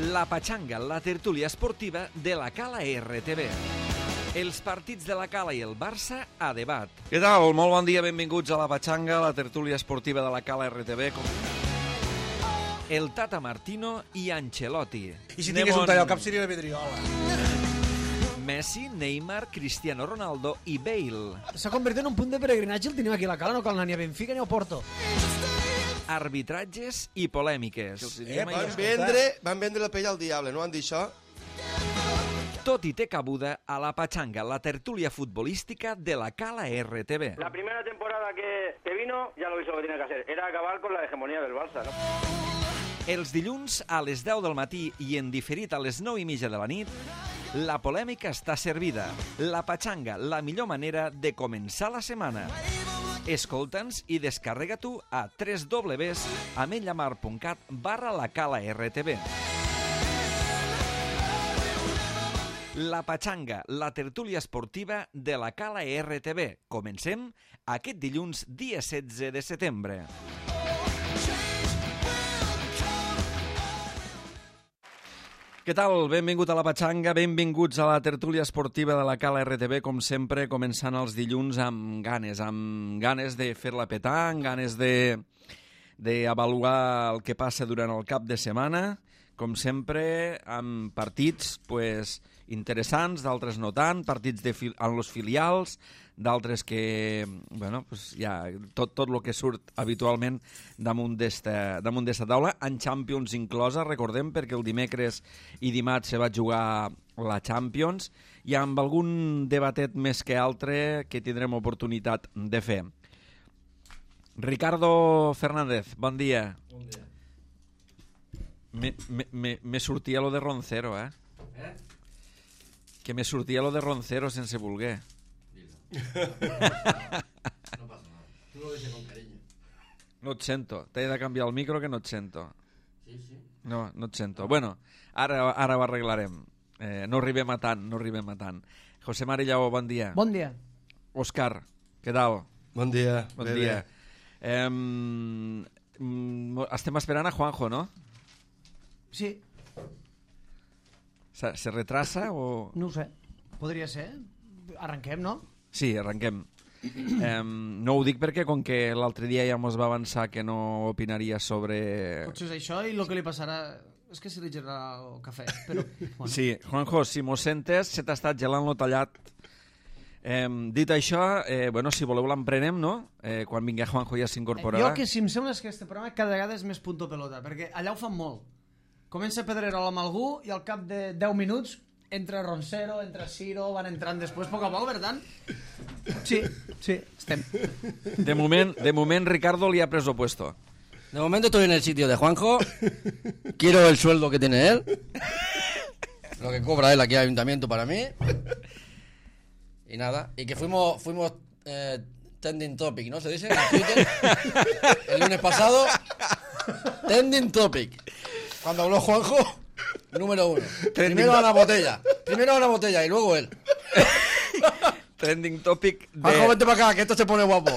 La Patxanga, la tertúlia esportiva de la Cala RTV. Els partits de la Cala i el Barça a debat. Què tal? Molt bon dia, benvinguts a la Patxanga, la tertúlia esportiva de la Cala RTV. El Tata Martino i Ancelotti. I si tingués un tall al cap seria la vidriola. Messi, Neymar, Cristiano Ronaldo i Bale. S'ha convertit en un punt de peregrinatge, el tenim aquí a la Cala, no cal anar ni a Benfica ni a Porto. Arbitratges i polèmiques. Van vendre la pell al diable, no han dit això? Tot i té cabuda a la Patxanga, la tertúlia futbolística de la Cala RTV. La primera temporada que vino ya lo hizo lo que tenía que hacer. Era acabar con la hegemonía del Barça, ¿no? Els dilluns a les 10 del matí i en diferit a les 9:30 de la nit, la polèmica està servida. La Patxanga, la millor manera de començar la setmana. Escolta'ns i descarrega-t'ho a www.ametlllamar.cat/lacalartv. La Patxanga, la tertúlia esportiva de la Cala RTV. Comencem aquest dilluns, dia 16 de setembre. Què tal? Benvingut a la Patxanga, benvinguts a la tertúlia esportiva de la Cala RTV, com sempre, començant els dilluns amb ganes de fer-la petar, amb ganes d'avaluar el que passa durant el cap de setmana, com sempre, amb partits interessants, d'altres no tant, partits en los filials, d'altres que, tot el que surt habitualment damunt d'esta taula, en Champions inclosa, recordem, perquè el dimecres i dimarts se va jugar la Champions, i amb algun debatet més que altre que tindrem oportunitat de fer. Ricardo Fernández, bon dia. Bon dia. Me sortia lo de Roncero, eh? Que me sortia lo de Roncero sense voler. No pasa nada. Tú lo dices con cariño. No et sento. T'he de canviar el micro que no et sento. Sí. No et sento. Bueno, ara ho arreglarem. No arribem a tant. José Mari Lleó, bon dia. Bon dia. Òscar, què tal? Bon dia. Bon dia. Estem esperant a Juanjo, no? Sí, Se retrasa o...? no ho sé. Podria ser. Arrenquem, no? Sí, arrenquem. No ho dic perquè com que l'altre dia ja mos va avançar que no opinaria sobre... Potser és això i el que li passarà és que se li gerarà el cafè, però... Bueno. Sí, Juanjo, si mos sentes, se t'ha estat gelant lo tallat. Dit això, si voleu l'emprenem, no? Quan vingui Juanjo ja s'incorporarà. Jo que si em sembla és que este programa cada vegada és més punto pelota, perquè allà ho fan molt. Comença Pedrerol amb algú i al cap de 10 minuts entra Roncero, entra Ciro, van entrant després poc a poc, ¿verdad? Sí, estem. De moment Ricardo li ha preso puesto. De momento estoy en el sitio de Juanjo. Quiero el sueldo que tiene él. Lo que cobra él aquí al ayuntamiento para mí. Y nada. Y que fuimos trending topic, ¿no? Se dice en Twitter. El lunes pasado. Trending topic. Cuando habló Juanjo, número 1. Primero a la botella y luego él. Trending topic de... Juanjo, vente para acá, que esto se pone guapo.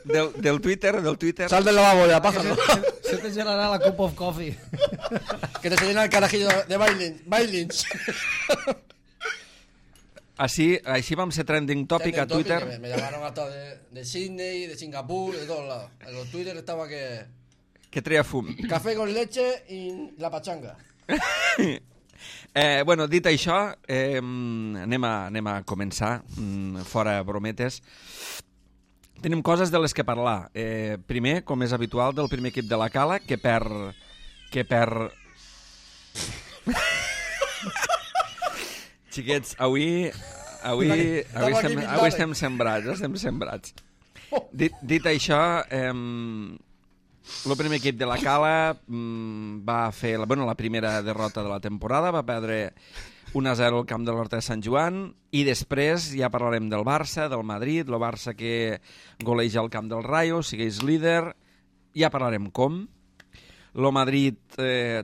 Del Twitter. Sal del lavabo ya, pájalo. Se te llenarà la cup of coffee. Que te se llena el carajillo de bailins. Així vam ser trending topic a Twitter. Me llamaron hasta de Sydney, de Singapur, de todos lados. En los Twitter estaba que... Que treia fum. Café con leche i la patxanga. Dit això, anem a començar, fora brometes. Tenim coses de les que parlar. Primer, com és habitual, del primer equip de la Cala, que perd... Xiquets, avui estem sembrats. Dit això... El primer equip de la Cala va fer la primera derrota de la temporada, va perdre 1-0 al camp de l'Horta de Sant Joan, i després ja parlarem del Barça, del Madrid, el Barça que goleja al camp del Rayo, sigueix líder, ja parlarem com. El Madrid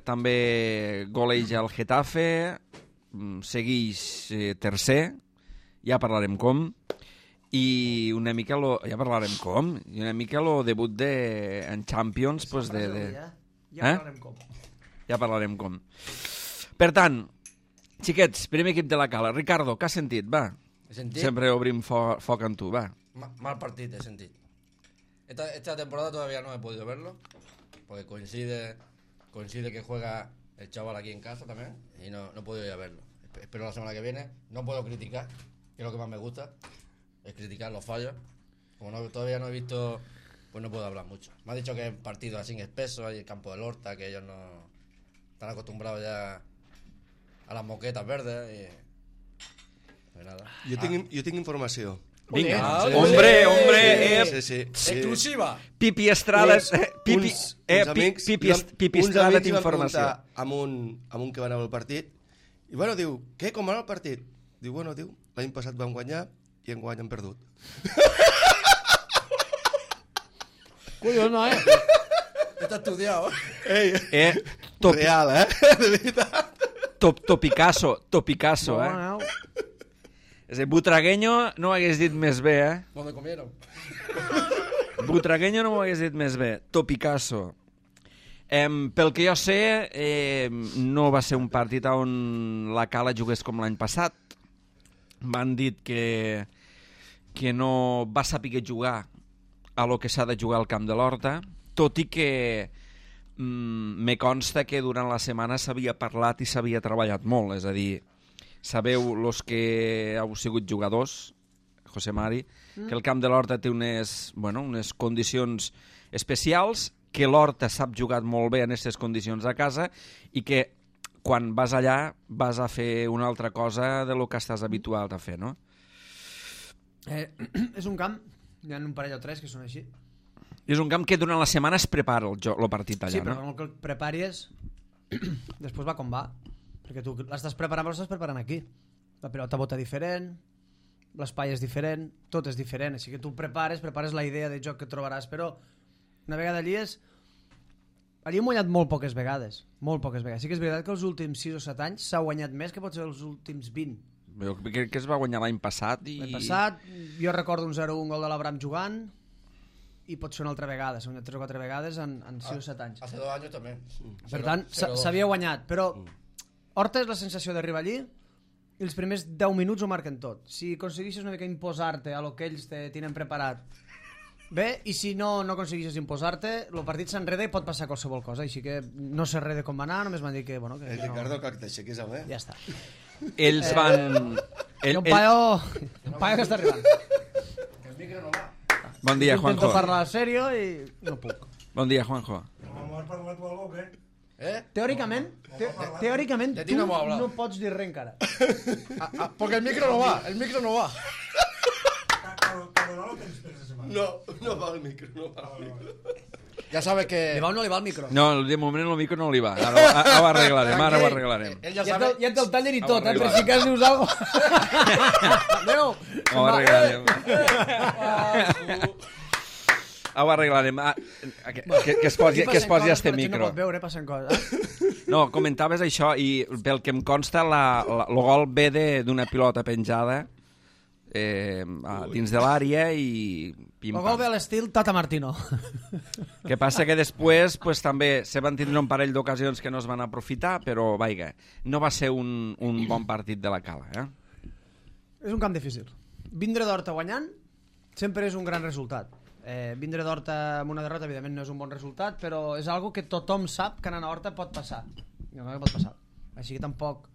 també goleja el Getafe, segueix tercer, ja parlarem com. I una mica ja parlarem com, i una mica el debut en Champions, Ja parlarem com. Ja parlarem com. Per tant, xiquets, primer equip de la Cala. Ricardo, què has sentit? Va. He sentit. Sempre obrim foc en tu, va. Mal partido he sentido. Esta temporada todavía no he podido verlo, porque coincide que juega el chaval aquí en casa también, y no he podido ir a verlo. Espero la semana que viene. No puedo criticar, que es lo que más me gusta, es criticar los fallos. Como todavía no he visto, pues no puedo hablar mucho. Me ha dicho que es partido así espeso, hay el campo del Horta, que ellos no están acostumbrados ya a las moquetas verdes y... Pues nada. Jo tinc informació. Vinga. Ah, Hombre, Sí. ¡Exclusiva! Pipi Estrada... Pipi uns Estrada amics d'informació. van preguntar amb un que va anar al partit i bueno, diu, què, com va anar el partit? Diu, l'any passat vam guanyar i enguany hem perdut. Collons, no, Está estudiado. Real, de veritat. Topicasso, No. És a dir, Butragueño no ho hagués dit més bé, ¿Dónde comieron? Butragueño no m'ho hagués dit més bé. Topicasso. Pel que jo sé, no va ser un partit on la Cala jugués com l'any passat. M'han dit que no va saber jugar a lo que s'ha de jugar al camp de l'Horta, tot i que me consta que durant la setmana s'havia parlat i s'havia treballat molt, és a dir, sabeu, los que heu sigut jugadors, José Mari, que el camp de l'Horta té unes condicions especials, que l'Horta sap jugar molt bé en aquestes condicions a casa i que quan vas allà vas a fer una altra cosa de lo que estàs habituat a fer, no? És un camp, hi ha un parell o tres que són així. I és un camp que durant la setmana es prepara el partit allà, Sí, però no? com que el preparis, després va com va. Perquè tu l'estàs preparant aquí. La pilota bota diferent, l'espai és diferent, tot és diferent. Així que tu prepares la idea de joc que trobaràs, però una vegada allí allí hem guanyat molt poques vegades. Molt poques vegades. Sí que és veritat que els últims 6 o 7 anys s'ha guanyat més que potser els últims 20. Jo crec que es va guanyar l'any passat i... L'any passat, jo recordo un 0-1 gol de l'Abraham jugant i pot ser una altra vegada. S'ha guanyat 3 o 4 vegades en 6 o 7 anys. Hace 2 años también. Per tant, s'havia guanyat, però Horta és la sensació d'arribar allí i els primers 10 minuts ho marquen tot. Si aconseguixes una mica imposar-te a lo que ells te tenen preparat, bé, i si no aconseguixes imposar-te, el partit s'enreda i pot passar qualsevol cosa, així que no sé res de com va anar, només m'han dit que... Bueno, que El Ricardo, que t'aixequis amb Ja està. Ells van... Hi ha un paio que està arribant. El micro no va. Bon dia, Intento Juanjo. parlar serio i no puc. Bon dia, Juanjo. Vamos a parlar tu algo, ¿qué? Teòricament, De ti no hemos hablado. no pots dir res encara. Porque el micro no va, el micro no va. Cada no lo tens per esta setmana. No va el micro, no va el micro. Ya sabes que... Li va o no li va el micro? No, de moment el micro no li va. Ara ho arreglarem, ara ho arreglarem. Él ya Ja sabe... et el taller i tot, Vamos, per si cas dius alguna cosa. Adéu. Ho arreglarem. Ho arreglarem. Que es posi este No micro. pot veure, passen coses. No, comentaves això i pel que em consta el gol ve d'una pilota penjada dins de l'àrea i El gol ve a l'estil Tata Martino. Que passa que després pues, també se van tindre un parell d'ocasions que no es van aprofitar, però vaiga, no va ser un bon partit de la Cala. És un camp difícil. Vindre d'Horta guanyant sempre és un gran resultat. Vindre d'Horta amb una derrota evidentment no és un bon resultat, però és algo que tothom sap que anant a Horta pot passar. Pot passar. Així que tampoc...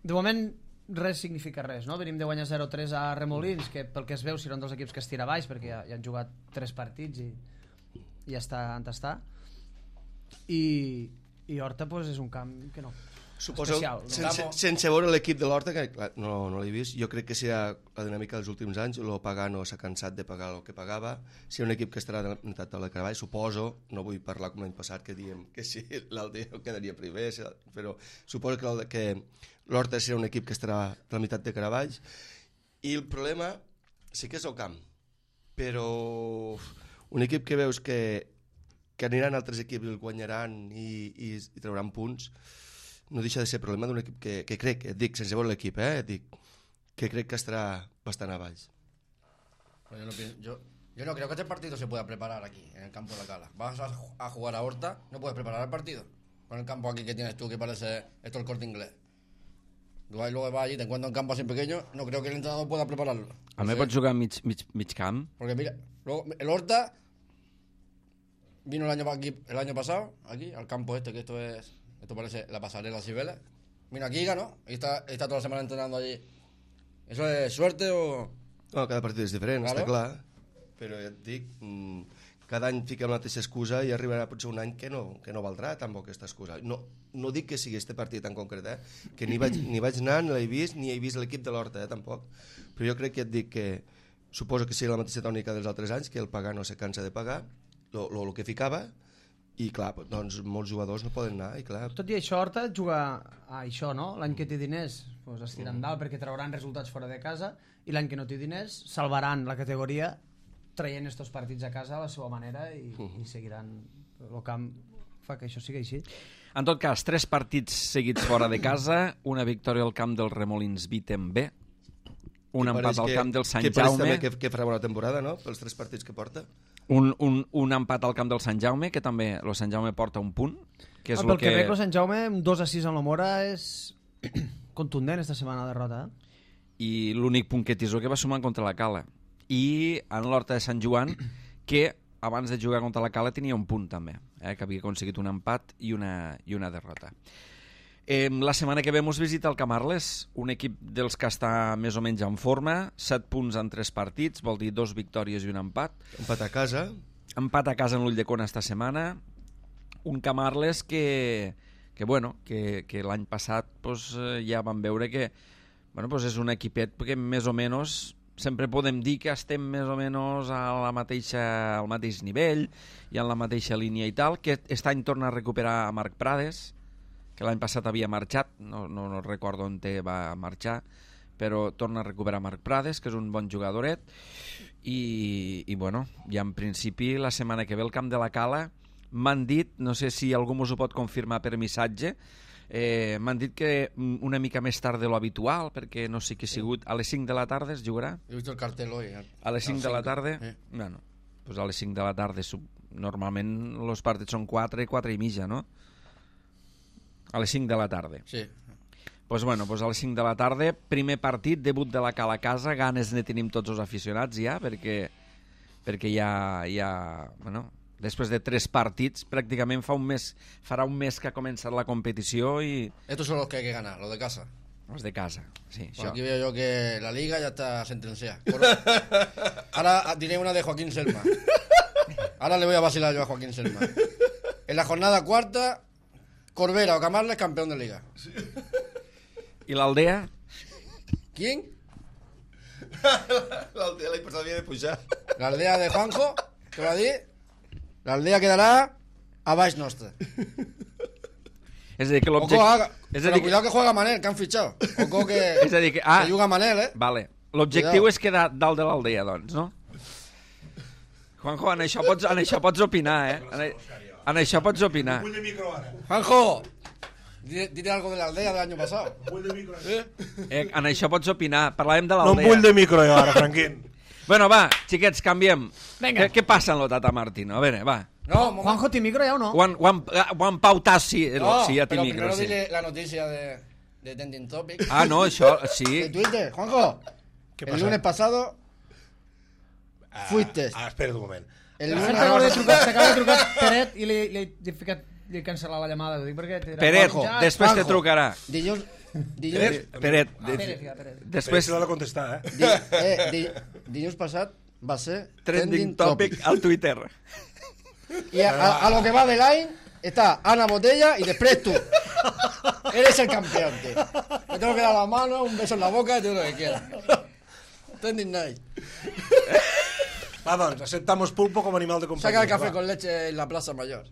De moment res significa res, no? Venim de guanyar 0-3 a Remolins, que pel que es veu seran dos equips que es tira baix, perquè ja han jugat 3 partits i ja està on està. I Horta pues, és un camp que no. Suposo, Especial, sense veure l'equip de l'Horta, que clar, no l'he vist, jo crec que serà la dinàmica dels últims anys, el Pagano s'ha cansat de pagar el que pagava, si un equip que estarà de la meitat de la Caravall, suposo, no vull parlar com l'any passat, que diem que sí, l'Aldea quedaria primer, però suposo que l'Horta serà un equip que estarà de la meitat de Caravalls, i el problema sí que és el camp, però un equip que veus que aniran altres equips, el guanyaran i trauran punts, no deixa de ser problema d'un equip que crec, et dic, sense veure l'equip, et dic, que crec que estarà bastant a baix. Yo no creo que este partido se pueda preparar aquí, en el campo de la Cala. Vas a jugar a Horta, no puedes preparar el partido. con el campo aquí que tienes tú, que parece esto el Corte Inglés. Tú luego vas allí, te encuentras un campo así pequeño, no creo que el entrenador pueda prepararlo. A mí pots jugar mig camp. Porque mira, luego el Horta vino el año pasado, aquí, al campo este, que esto parece la pasarela Cibeles. Vino aquí y ganó, y está toda la semana entrenando allí. ¿Eso es suerte o...? No, cada partit és diferent, Claro. està clar. Però ja et dic, cada any fiquem la mateixa excusa i arribarà potser un any que no valdrà tampoc aquesta excusa. No dic que sigui este partit en concret, que ni vaig anar, ni l'he vist, ni he vist l'equip de l'Horta, tampoc. Però jo crec que et dic que suposo que sigui la mateixa tònica dels altres anys, que el pagar no se cansa de pagar, el que ficava, i clar, doncs molts jugadors no poden anar, i clar... Tot i això, Horta juga a això, no? L'any que té diners doncs es tiren dalt perquè trauran resultats fora de casa i l'any que no té diners salvaran la categoria traient estos partits a casa a la seva manera i seguiran el camp fa que això sigui així. En tot cas, 3 partits seguits fora de casa, una victòria al camp del Remolins Vitem B, un empat al camp del Sant que pareix Jaume, també que farà bona temporada, no?, pels 3 partits que porta. un empat al camp del Sant Jaume, que també el Sant Jaume porta un punt, que és Pel el que veig, el Sant Jaume, 2-6 en la Mora, és contundent esta setmana de derrota. I l'únic punt que tisó que va sumar contra la Cala. I en l'Horta de Sant Joan, que abans de jugar contra la Cala tenia un punt també, que havia aconseguit un empat i una derrota. La setmana que ve mos visita el Camarles, un equip dels que està més o menys en forma, 7 punts en 3 partits, vol dir 2 victòries i un empat. Empat a casa. Empat a casa en l'Ulldecona esta setmana. Un Camarles que l'any passat pues, ja vam veure que pues és un equipet que més o menys sempre podem dir que estem més o menys al mateix nivell i en la mateixa línia i tal, que aquest any torna a recuperar a Marc Prades, que l'any passat havia marxat, no recordo on va marxar, però torna a recuperar Marc Prades, que és un bon jugadoret, i en principi la setmana que ve al camp de la Cala m'han dit, no sé si algú mos ho pot confirmar per missatge, m'han dit que una mica més tard de lo habitual, perquè no sé què ha sigut, a les 5 de la tarda es jugarà? He visto el cartel hoy. A les 5 de la tarda? Sí. Bueno, pues a les 5 de la tarda normalment els partits són 4 i mitja, no? A les 5 de la tarda. Sí. Pues a les 5 de la tarda, primer partit, debut de la Cala a casa, ganes ne tenim tots els aficionats ja, perquè ja després de 3 partits, pràcticament farà un mes que ha començat la competició i... Estos son los que hay que ganar, los de casa. Els de casa, sí. Pues aquí veo yo que la liga ya está sentenciada. Ahora diré una de Joaquín Selma. Ahora le voy a vacilar yo a Joaquín Selma. En la jornada 4, Corbera o Camarles campeón de liga. I l'Aldea? ¿Quién? L'Aldea l'any passat havia de pujar. La aldea de Juanjo, ¿qué va a decir? La aldea quedará a baix nostre. És a dir, que Oco, pero cuidado que juega Manel, que han fichado. Oco que, és a dir, que juga Manel, Vale. L'objectiu és quedar dalt de l'Aldea, doncs, no? Juanjo, en això pots opinar, En això pots opinar. Vull de micro ara. Juanjo, dite algo de la aldea del año pasado. Vull de micro ara. En això pots opinar. Parlàvem de No l'Aldea. em vull de micro jo ara, Franquín. Bueno, va, xiquets, canviem. Vinga. Què passa en lo Tata Martino? A veure, va. No, Juanjo, ¿té micro ya o no? Juan Pautas, sí, no, sí, ja té pero micro, primero sí. dile la noticia de Trending Topic. Ah, no, això, De sí. Twitter, Juanjo. ¿Qué El pasa? lunes pasado fuiste. Espera un moment. El Per lunes cert, t'acaba de trucar Peret i li he cancel·lat la llamada. Ho dic perquè... Peret, Juanjo, després te Juanjo. trucarà. Dilluns... Peret, Peret. després Però l'ha de contestar, dilluns passat va ser trending topic al Twitter. Y a lo que va del año está Ana Botella y después tú. Eres el campeón, tío. Me tengo que dar la mano, un beso en la boca y todo lo que quieras. Trending night. Va, doncs, aceptamos pulpo com a animal de companyia. Saca el café va. con leche en la Plaza Mayor.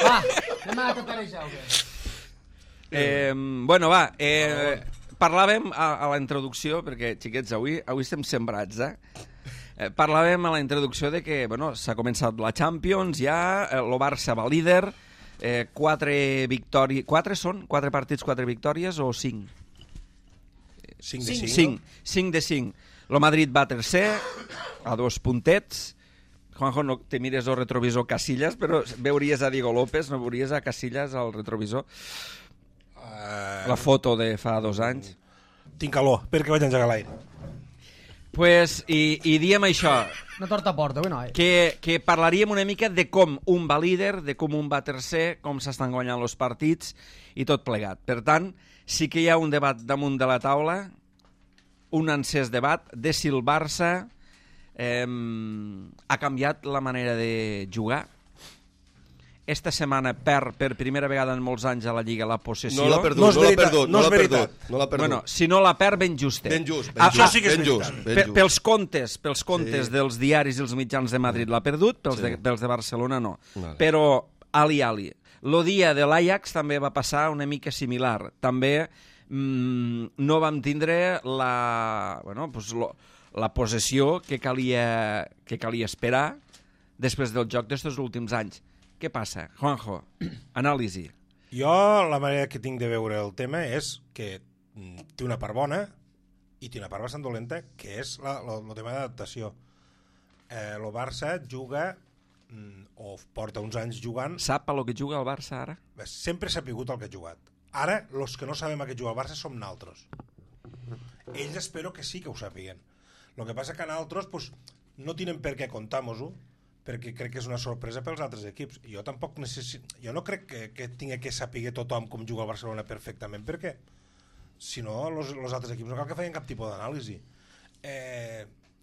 Va, anem a taparejar o què? Bueno, va, parlàvem a la introducció, perquè, xiquets, avui estem sembrats, parlàvem a la introducció de que, bueno, s'ha començat la Champions ja, el Barça va líder, 4 victòries... 4 partits, 4 victòries o 5? 5 de 5. 5 de 5. El Madrid va tercer, a 2 puntets, Juanjo, no te mires el retrovisor Casillas, però veuries a Diego López, no veuries a Casillas al retrovisor? La foto de fa 2 anys. Tinc calor, perquè vaig engegar l'aire. Pues, i diem això, Una torta a porta, avui no, que parlaríem una mica de com un va líder, de com un va tercer, com s'estan guanyant els partits i tot plegat. Per tant, sí que hi ha un debat damunt de la taula, un encès debat de si el Barça ha canviat la manera de jugar. Esta setmana perd per primera vegada en molts anys a la Lliga la possessió. No l'ha perdut, No és no l'ha veritat, perdut, no és no l'ha veritat. perdut, no l'ha perdut. Bueno, si no la perd, ben justet. Ben just, Això sí que és ben just, veritat. ben just. Pels comptes dels diaris i els mitjans de Madrid l'ha perdut, pels de Barcelona no. Vale. Però, ali. Lo dia de l'Ajax també va passar una mica similar. També no vam tindre la possessió que calia esperar després del joc d'estos últims anys. Què passa? Juanjo, anàlisi. Jo la manera que tinc de veure el tema és que té una part bona i té una part bastant dolenta, que és el tema d'adaptació. El Barça juga, o porta uns anys jugant... Sap a lo que juga el Barça ara? Sempre s'ha pigut el que ha jugat. Ara, els que no sabem a què juga el Barça som naltros. Ells espero que sí que ho sàpiguen. El que passa que naltros pues, no tenen per què contar-nos-ho, perquè crec que és una sorpresa pels altres equips. Jo tampoc jo no crec que tingui que saber tothom com juga el Barcelona perfectament, perquè si no, els altres equips no cal que feien cap tipus d'anàlisi.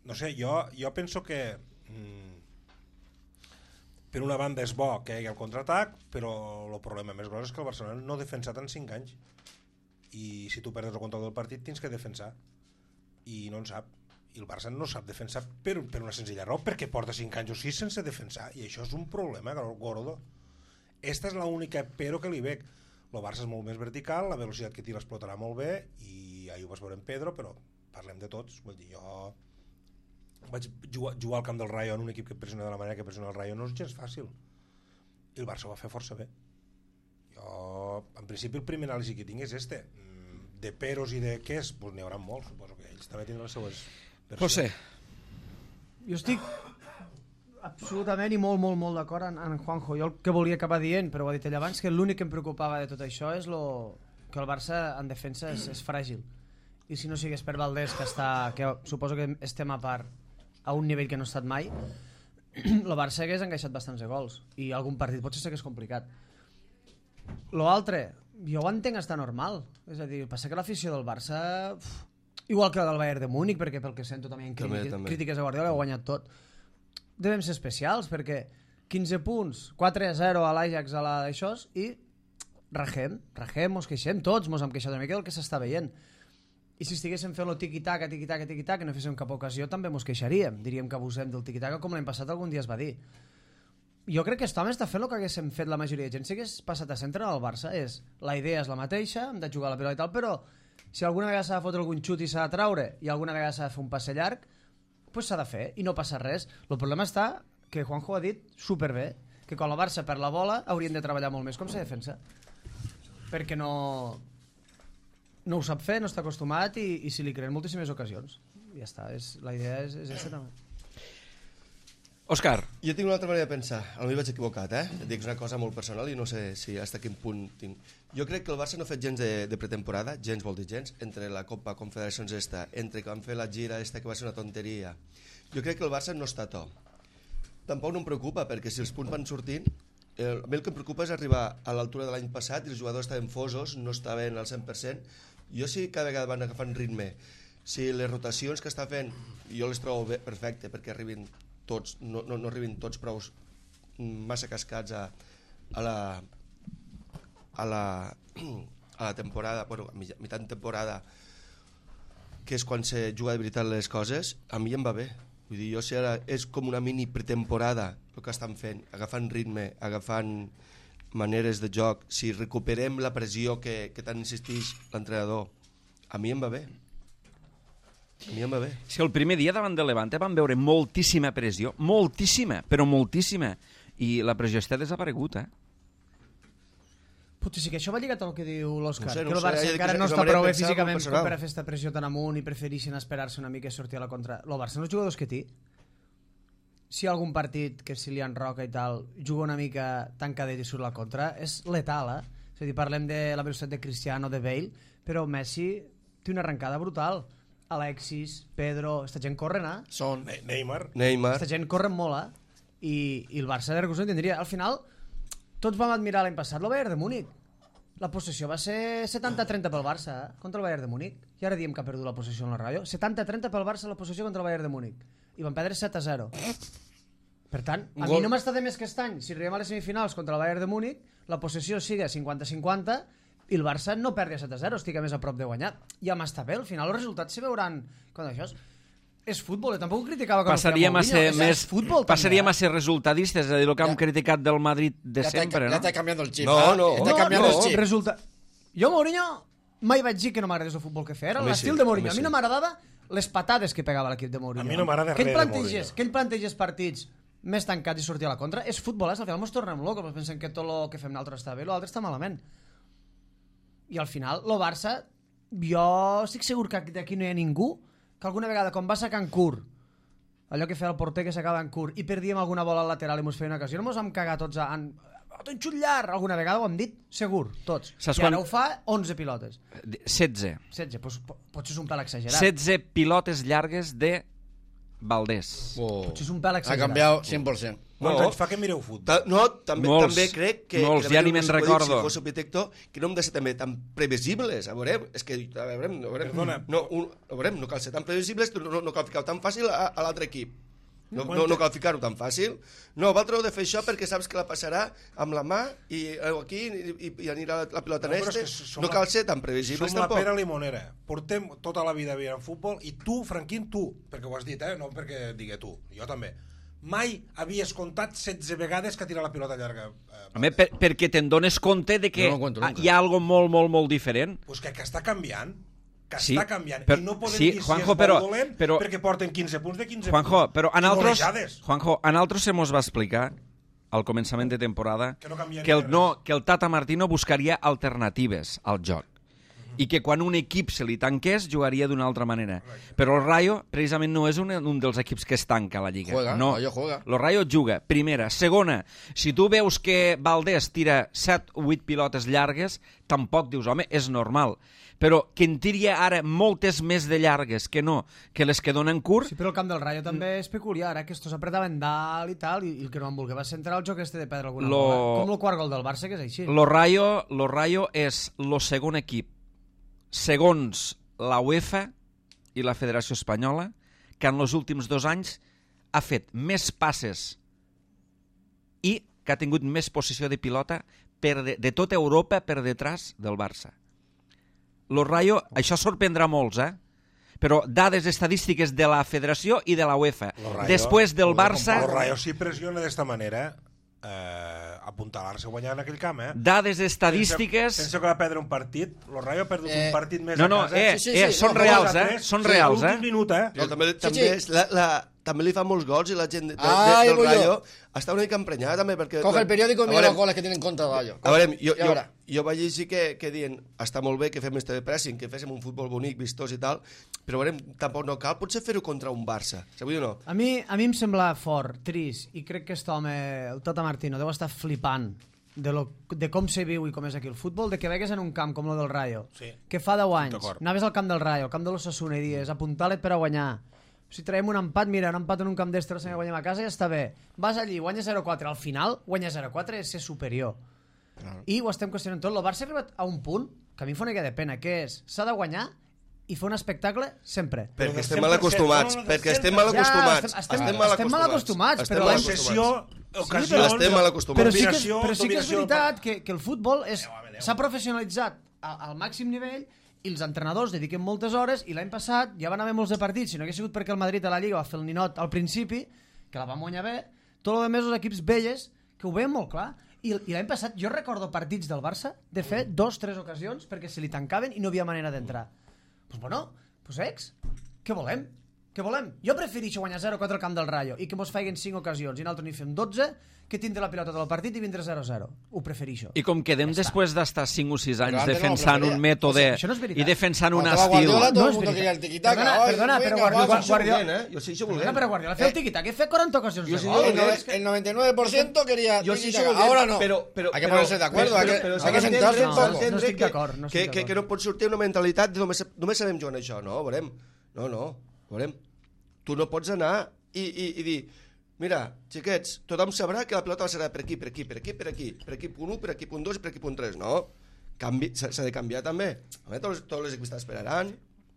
No sé, jo penso que per una banda és bo que hi hagi el contraatac, però el problema més gros és que el Barcelona no ha defensat en 5 anys. I si tu perdes el control del partit tens que defensar. I no en sap. I el Barça no sap defensar per una senzilla raó, perquè porta 5 anys o 6 sense defensar, i això és un problema gordo. Esta és l'única però que li veig. El Barça és molt més vertical, la velocitat que té l'explotarà molt bé, i ahir ho vas veure en Pedro, però parlem de tots. Vull dir, jo vaig jugar al camp del Rayo en un equip que pressiona de la manera que pressiona el Rayo, no és gens fàcil. I el Barça ho va fer força bé. Jo, en principi, el primer anàlisi que tinc és este. De peros i de què és, doncs n'hi haurà molts, suposo que ells també tindran les seues... José. Jo estic absolutament i molt d'acord en Juanjo. Jo el que volia acabar dient, però ho ha dit ell abans, que l'únic que em preocupava de tot això és que el Barça en defensa és fràgil. I si no sigués per Valdés, que suposo que estem a part a un nivell que no ha estat mai, el Barça hagués encaixat bastants de gols i algun partit potser sí que és complicat. Lo altre, jo ho entenc estar normal. És a dir, passa que l'afició del Barça... Igual que el del Bayern de Múnich, perquè pel que sento també en crítiques a Guardiola, ha guanyat tot. Devem ser especials, perquè 15 punts, 4-0 a l'Ajax a d'això, i rajem, mos queixem tots, mos hem queixat una mica del que s'està veient. I si estiguéssim fent el tiqui-taca, i no féssim cap ocasió, també mos queixaríem. Diríem que abusem del tiqui-taca, com l'any passat algun dia es va dir. Jo crec que aquest home està fent el que haguéssim fet la majoria de gent. Si hagués passat a centre al Barça, la idea és la mateixa, hem de jugar a la pilota i tal, però si alguna vegada s'ha de fotre algun xut i s'ha de traure i alguna vegada s'ha de fer un passe llarg, doncs s'ha de fer i no passa res. El problema està que Juanjo ha dit superbé, que quan el Barça perd la bola haurien de treballar molt més com se defensa, perquè no ho sap fer, no està acostumat i si li creen moltíssimes ocasions. Ja està, la idea és aquesta també. Òscar. Jo tinc una altra manera de pensar. Potser vaig equivocat, Et dic una cosa molt personal i no sé si fins a quin punt tinc. Jo crec que el Barça no ha fet gens de pretemporada, gens vol dir gens, entre la Copa Confederacions entre que van fer la gira que va ser una tonteria. Jo crec que el Barça no està a to. Tampoc no em preocupa, perquè si els punts van sortint, a mi el que em preocupa és arribar a l'altura de l'any passat i els jugadors estaven fosos, no estaven al 100%. Jo sí cada vegada van agafant ritme. Si les rotacions que està fent, jo les trobo perfecte, perquè arribin tots, no arribin tots prou massa cascats a la temporada, bueno, a mitjan temporada, que és quan se juga de veritat les coses, a mi em va bé. Vull dir, jo si ara és com una mini pretemporada el que estan fent, agafant ritme, agafant maneres de joc, si recuperem la pressió que tant insisteix l'entrenador, a mi em va bé. A mi em va bé. És que el primer dia davant de Levante vam veure moltíssima pressió, moltíssima, però moltíssima, i la pressió està desaparegut, Potser sí que això va lligat al que diu l'Òscar, No sé, que el Barça és encara no una està manera prou de bé pensar físicament molt com personal. per a fer esta pressió tan amunt i prefereixen esperar-se una mica i sortir a la contra. El Barça no els jugadors que té. si hi ha algun partit que si li enroca i tal, juga una mica tancadet i surt la contra, és letal, És a dir, parlem de la velocitat de Cristiano, de Bale, però Messi té una arrencada brutal. Alexis, Pedro, esta gent corren, Son. Neymar. Esta gent corren molt, i el Barça de recursos tindria. Al final, tots vam admirar l'any passat el Bayern de Múnich. La possessió va ser 70-30 pel Barça, contra el Bayern de Múnich. I ara diem que ha perdut la possessió en la ràdio. 70-30 pel Barça la possessió contra el Bayern de Múnich. I van perdre 7-0. Per tant, a mi no m'està de més que aquest any. Si arribem a les semifinals contra el Bayern de Múnich, la possessió siga 50-50 i el Barça no perdi a 7-0, estigui més a prop de guanyar. Ja m'està bé, al final els resultats se veuran. Quan això és futbol, tampoc ho criticava quan passaríem a ser més futbol, passaríem a ser resultadistes, és a dir, el que hem criticat del Madrid de sempre, Ja no? està canviant el xip. No. Està canviant el xip. Resulta... Jo, Mourinho, mai vaig dir que no m'agradés el futbol que feia. Era A mi l'estil sí, de Mourinho. a A mi mi no sí. m'agradava les patades que pegava l'equip de Mourinho. A mi no m'agrada que ell res de plantegés, Mourinho. que ell plantegés partits més tancats i sortir a la contra. És futbol, al final ens tornem locos, pensem que tot el que fem nosaltres està bé i l'altre està malament. I al final, el Barça, jo estic segur que d'aquí no hi ha ningú que alguna vegada, quan va a Cancún, allò que feia el porter que s'acaba en curt, i perdíem alguna bola al lateral i mos feia una ocasió, no mos vam cagar tots en un xut llarg, alguna vegada ho hem dit, segur, tots. Saps I ara quan- ho fa 11 pilotes. 16. 16, doncs potser és un pèl exagerat. 16 pilotes llargues de Valdés. Potser és un pèl Ha exagerat. canviat 100%. Quants No. anys fa que mireu futbol? No, també, Molts, també crec que... molts, que ja també ni me'n s'ho ha dit, recordo. Si fos arquitecto, que no hem de ser també tan previsibles. A veure, és que... A veure, Perdona. no cal ser tan previsibles, no cal ficar-ho tan fàcil a l'altre equip. No cal ficar-ho tan fàcil. No, vosaltres heu de fer això perquè saps que la passarà amb la mà i aquí i anirà la pilota en No, però és este. que som No la- cal ser tan previsibles Som la tampoc. pera limonera. Portem tota la vida veient futbol i tu, Franquín, tu, perquè ho has dit, no perquè digui tu, jo també, mai havies comptat 16 vegades que tira la pilota llarga. Home, perquè te'n dones compte de que No ho cuento nunca. hi ha algo molt, molt, molt diferent. Pues que està canviant. Que Sí, està canviant. però- I no podem sí, dir Juanjo, si és però- molt dolent però- perquè porten 15 punts de 15 Juanjo, punts. però I golejades. a nosaltres se mos va explicar al començament de temporada Que no canviaria que res. que el Tata Martino buscaria alternatives al joc i que quan un equip se li tanqués jugaria d'una altra manera. Però el Rayo precisament no és un dels equips que es tanca a la Lliga. Juega, no. Rayo juega. El Rayo juga, primera. Segona, si tu veus que Valdés tira 7 o 8 pilotes llargues, tampoc dius, home, és normal. Però que en tiri ara moltes més de llargues que no, que les que donen curt, Sí, però el camp del Rayo també és peculiar, que estos apretaven dalt i tal, i el que no van voler va centrar el joc este de perdre alguna bola. Com el quart gol del Barça, que és així. Lo Rayo és el segon equip, segons la UEFA i la Federació Espanyola, que en els últims 2 anys ha fet més passes i que ha tingut més posició de pilota de tota Europa per detrás del Barça. Lo Rayo, això sorprendrà molts, però dades estadístiques de la Federació i de la UEFA. Després del Barça... El Rayo si pressiona d'esta manera apuntalar-se a guanyar en aquell camp, Dades estadístiques... Sense que va perdre un partit. El Rayo ha perdut un partit més No, a casa. són reals, són reals, L'últim minut, Però també també li fa molts gols i la gent del voy yo. Rayo està una mica emprenyada també perquè... Coge el periódico y mira los goles que tienen contra el Rayo. A veure, Ja veurà. jo vaig llegir que diuen està molt bé que fem este pressing, que féssim un futbol bonic, vistós i tal, però a veure, tampoc no cal potser fer-ho contra un Barça, sabeu o no? A mi em sembla fort, trist, i crec que aquest home, el Tata Martino, deu estar flipant de com se viu i com és aquí el futbol, de que vegues en un camp com el del Rayo, Sí. que fa 10 anys, D'acord. anaves al camp del Rayo, al camp de l'Osasuna i dies, apuntalet per a guanyar. Si traiem un empat, mira, un empat en un camp d'estre, si guanyem a casa ja està bé. Vas allí, guanyes 0-4, al final, guanyar 0-4 és ser superior. I ho estem qüestionant tot. El Barça ha arribat a un punt que a mi em fa una mica de pena, que és, s'ha de guanyar i fer un espectacle sempre. Perquè del estem 100%, mal acostumats, no, del perquè 100%. estem mal acostumats. Estem mal acostumats, però mal Possessió, però ocasions... estem mal acostumats. Però sí que, Dominació, però sí que és dominació. veritat que el futbol s'ha professionalitzat al màxim nivell i els entrenadors dediquen moltes hores i l'any passat ja van haver molts de partits, si no hagués sigut perquè el Madrid a la Lliga va fer el ninot al principi, que la va guanyar bé, tot el més els equips velles que ho veien molt clar. I l'any passat jo recordo partits del Barça de fer 2-3 ocasions perquè se li tancaven i no havia manera d'entrar. Doncs bueno, ex, què volem? Què volem? Jo prefereixo guanyar 0-4 al camp del Rayo i que mos feien 5 ocasions i nosaltres n'hi fem 12 que tindre la pilota del partit i vindre 0-0. Ho prefereixo. I com quedem després d'estar 5 o 6 anys antes no defensant lo un mètode Això no és veritat. i defensant un Cuando estaba estil... Guardiola, todo No el és mundo quería el veritat. tiquitaca. Perdona, però Guardiola... Jo sí, això volent. Perdona, però Guardiola feia el tiquitaca i feia 40 ocasions de sí, gol. El 99% quería Yo sí tiquitaca. soy Ahora no. pero hay que ponerse de acuerdo, hay que sentarse un poco. No estic d'acord, no estic d'acord. que no pot sortir una mentalitat de només sabem jugar en això. No, veurem. Veurem. Tu no pots anar i dir, mira, xiquets, tothom sabrà que la pilota serà per aquí, per aquí punt 1, per aquí punt 2 i per aquí punt 3, no? S'ha de canviar també. Tots els equips esperaran.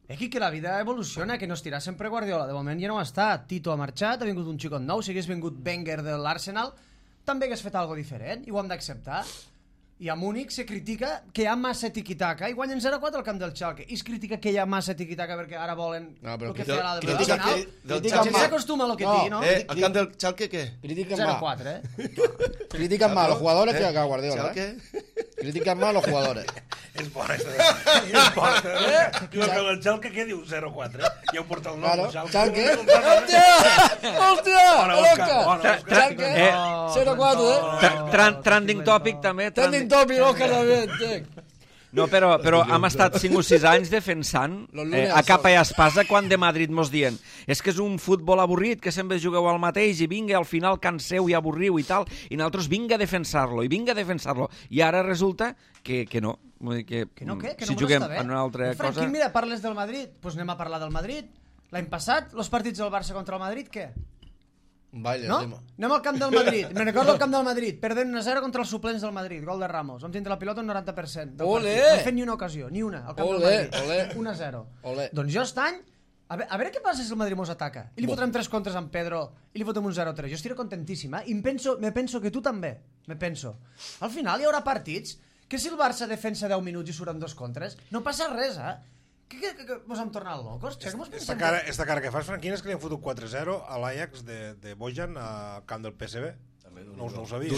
Aquí que la vida evoluciona, que no estirà sempre Guardiola. De moment ja no està. Tito ha marxat, ha vingut un xicot nou. Si hagués vingut Wenger de l'Arsenal, també hagués fet alguna diferent i ho hem d'acceptar. I a Múnich se critica que hi ha massa tiquitaca i guanyen 0-4 al camp del Schalke. I es critica que hi ha massa tiquitaca perquè ara volen el que feia l'Alba. Al final, la gent s'acostuma a lo que digui, no? Al camp del Schalke, què? Critican más. 0-4, Critican más a los jugadores que a Guardiola. Schalke? Critican más a los jugadores. És bona, és bona. Diu que el Schalke, què diu? 0-4. Ja ho porta el nom, Claro, el Schalke. Schalke. ¡Hostia! Bona, Òscar, ¡Oscar! bona, Schalke, 0-4, ¿eh? Trending topic també. Trending topic, Òscar, también. No, però hem estat 5 o 6 anys defensant a capa i espasa quan de Madrid mos dient és que és un futbol avorrit, que sempre jugueu al mateix i vinga, al final canseu i avorriu i tal, i nosaltres vinga a defensar-lo i ara resulta que no. Vull dir Que no si juguem en una altra cosa... Franquín, mira, parles del Madrid, doncs anem a parlar del Madrid. L'any passat, els partits del Barça contra el Madrid, què? Baile, No? Anem al camp del Madrid. Me recordo el camp del Madrid. Perdent 1-0 contra els suplents del Madrid. Gol de Ramos. Vam tindre la pilota un 90% del Olé! partit. No hem fet ni una ocasió, ni una, al camp Olé, del Madrid. olé. 1-0. Olé. Doncs jo estany... A veure què passa si el Madrid mos ataca. I li fotrem 3 contres amb Pedro i li fotrem un 0-3. Jo estiré contentíssim, I me penso que tu també. Me penso. Al final hi haurà partits que si el Barça defensa 10 minuts i surten 2 contres, no passa res, Que mos hem tornat locos? Esta cara que fas, Franquín, és que li han fotut 4-0 a l'Ajax de Bojan al camp del PSV. No ho sabia.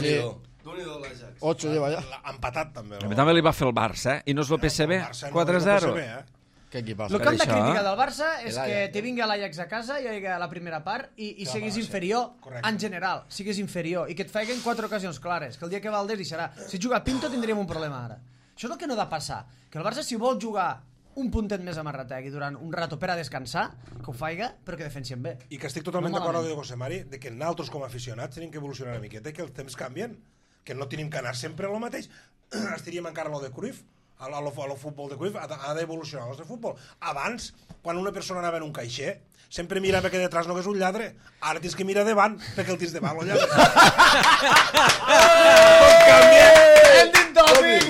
D'un-i-do l'Ajax. 8 lleva ya. Empatat, també. A mi també li va fer el Barça, i no és el PSV? 4-0. ¿Qué equipazo? El que hem de això, criticar del Barça és l'Ajax. que te vingui l'Ajax a casa i a la primera part i siguis inferior en general, siguis inferior i que et feien 4 ocasions clares, que el dia que Valdés deixarà. Si juga Pinto tindríem un problema ara. Això és el que no ha de passar, que el Barça si vol jugar un puntet més a Marrategui durant un rato per a descansar, que ho faiga, però que defensien bé. I que estic totalment No d'acord amb malament. José Mari de que nosaltres com a aficionats tenim que evolucionar una miqueta i que els temps canvien, que no tenim que anar sempre a lo mateix. Estaríem encara a lo de Cruyff, a lo futbol de Cruyff, ha d'evolucionar el nostre futbol. Abans, quan una persona anava en un caixer, sempre mirava que detrás no hagués un lladre. Ara tens que mirar davant, perquè el tens davant, el lladre. Ending topic!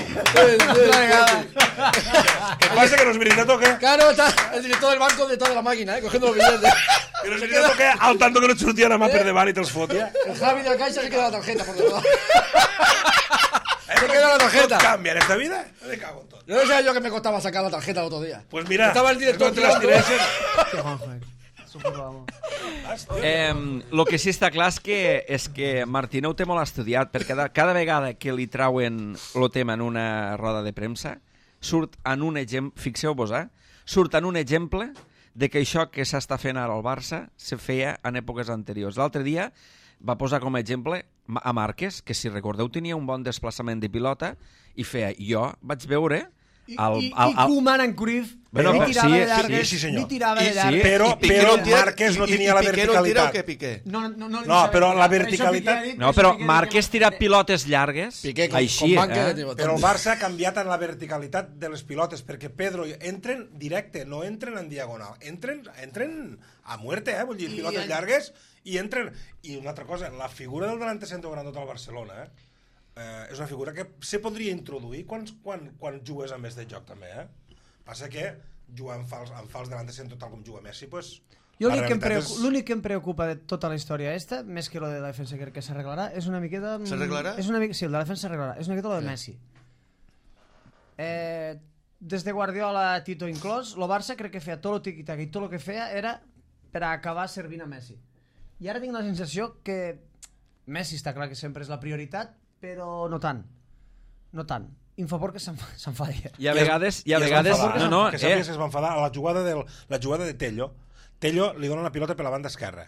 ¿Qué pasa, que no es veritat o qué? Claro, está el director del banco detrás de la máquina, cogiendo los billetes. Que no es veritat o qué? Al tanto que no et sortien a mà per davant i te'ls fotia. El Javi de la Caixa se queda la tarjeta por detrás. Se queda la tarjeta. Cambia en esta vida? Me cago en tot. Yo no sabía yo que me costaba sacar la tarjeta el otro día. Pues mira, Estaba el director te las tirando. tireixen. El que sí està clar és que Martínez ho té molt estudiat, perquè cada vegada que li trauen el tema en una roda de premsa, surt en un exemple, fixeu-vos, surt en un exemple de que això que s'està fent ara al Barça se feia en èpoques anteriors. L'altre dia va posar com a exemple a Márquez, que si recordeu tenia un bon desplaçament de pilota i feia, jo vaig veure... I Koeman en Cruyff Bueno, ni tirava de llargues, sí, senyor. ni tirava de Sí, llargues. Però Márquez no tenia la verticalitat. ¿Qué Piqué? No, però la verticalitat... No, però Márquez tira pilotes llargues, Piqué con així, banca de Però el Barça ha canviat en la verticalitat de les pilotes, perquè Pedro entren directe, no entren en diagonal, entren a muerte, vull dir, pilotes llargues, i entren... I una altra cosa, la figura del delante centro grandot al Barcelona, és una figura que se podria introduir quan jugues a més de joc, també, Passa que jugar en fals delante centro tal com juga Messi, pues... Jo l'únic que em preocupa de tota la història esta, més que lo de la defensa que s'arreglarà, és una miqueta... S'arreglarà? Sí, el de la defensa s'arreglarà. És una miqueta lo de Messi. Des de Guardiola, Tito inclòs, el Barça crec que feia tot el tiqui-tac i tot el que feia era per a acabar servint a Messi. I ara tinc la sensació que Messi està clar que sempre és la prioritat, però no tant. No tant. Infoport que s'enfadia. I a vegades... Que sàpies que es va enfadar a la jugada de Tello. Tello li dona la pilota per la banda esquerra.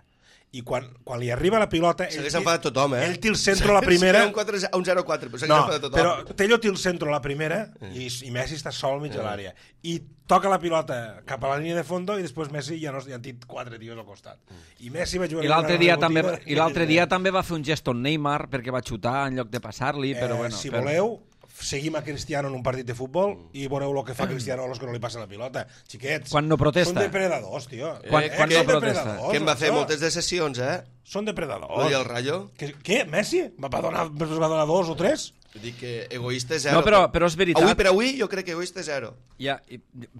I quan li arriba la pilota... S'hagués enfadat tothom, Ell té el centre a la primera... Un 0-4, però s'hagués enfadat tothom. Però Tello té el centre a la primera i Messi està sol al mig de l'àrea. I toca la pilota cap a la línia de fondo i després Messi ja han dit 4 tios al costat. I Messi va jugar... I l'altre dia també va fer un gest on Neymar perquè va xutar en lloc de passar-li, però bueno... Si voleu, seguim a Cristiano en un partit de futbol i veureu el que fa Cristiano a los que no li passa la pilota. Xiquets, quan no protesta. Són depredadors, tio. Quan no protesta. Que em va fer moltes de sessions, Són depredadors. I el Rayo? Què? Messi? Va donar 2 o 3? Dic que egoista 0. No, però és veritat. Avui per avui jo crec que egoista 0.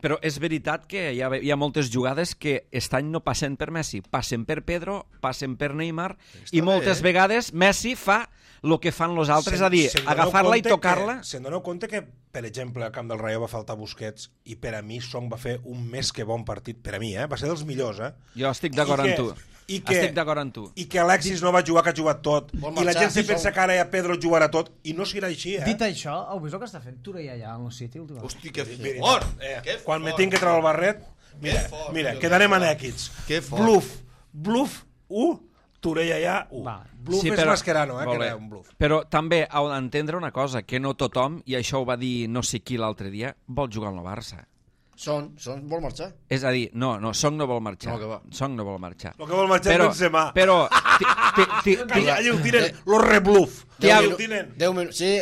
Però és veritat que hi ha moltes jugades que aquest any no passen per Messi, passen per Pedro, passen per Neymar, i moltes vegades Messi fa el que fan els altres, és a dir, agafar-la i tocar-la. Se'n doneu compte que, per exemple, al camp del Rayo va faltar Busquets i per a mi Song va fer un més que bon partit, per a mi, va ser dels millors, Jo estic d'acord amb tu. Estic d'acord amb tu. I que Alexis no va jugar, que ha jugat tot, i la gent se pensa que ara ja Pedro jugarà tot, i no serà així, Dit això, heu vist el que està fent Touré allà en el City últimament? Hosti, que fort! Quan me tinc que treure el barret, mira, quedarem anèquids. Bluff 1, Touré allà 1. Bluff és Mascherano, que era un bluff. Però també heu d'entendre una cosa, que no tothom, i això ho va dir no sé qui l'altre dia, vol jugar al Barça. Son vol marxar. És a dir, no, Song no vol marxar. No, que va. Song no vol marxar. El que vol marxar és Benzema. Però... Allà ho tiren, los rebluff. Sí,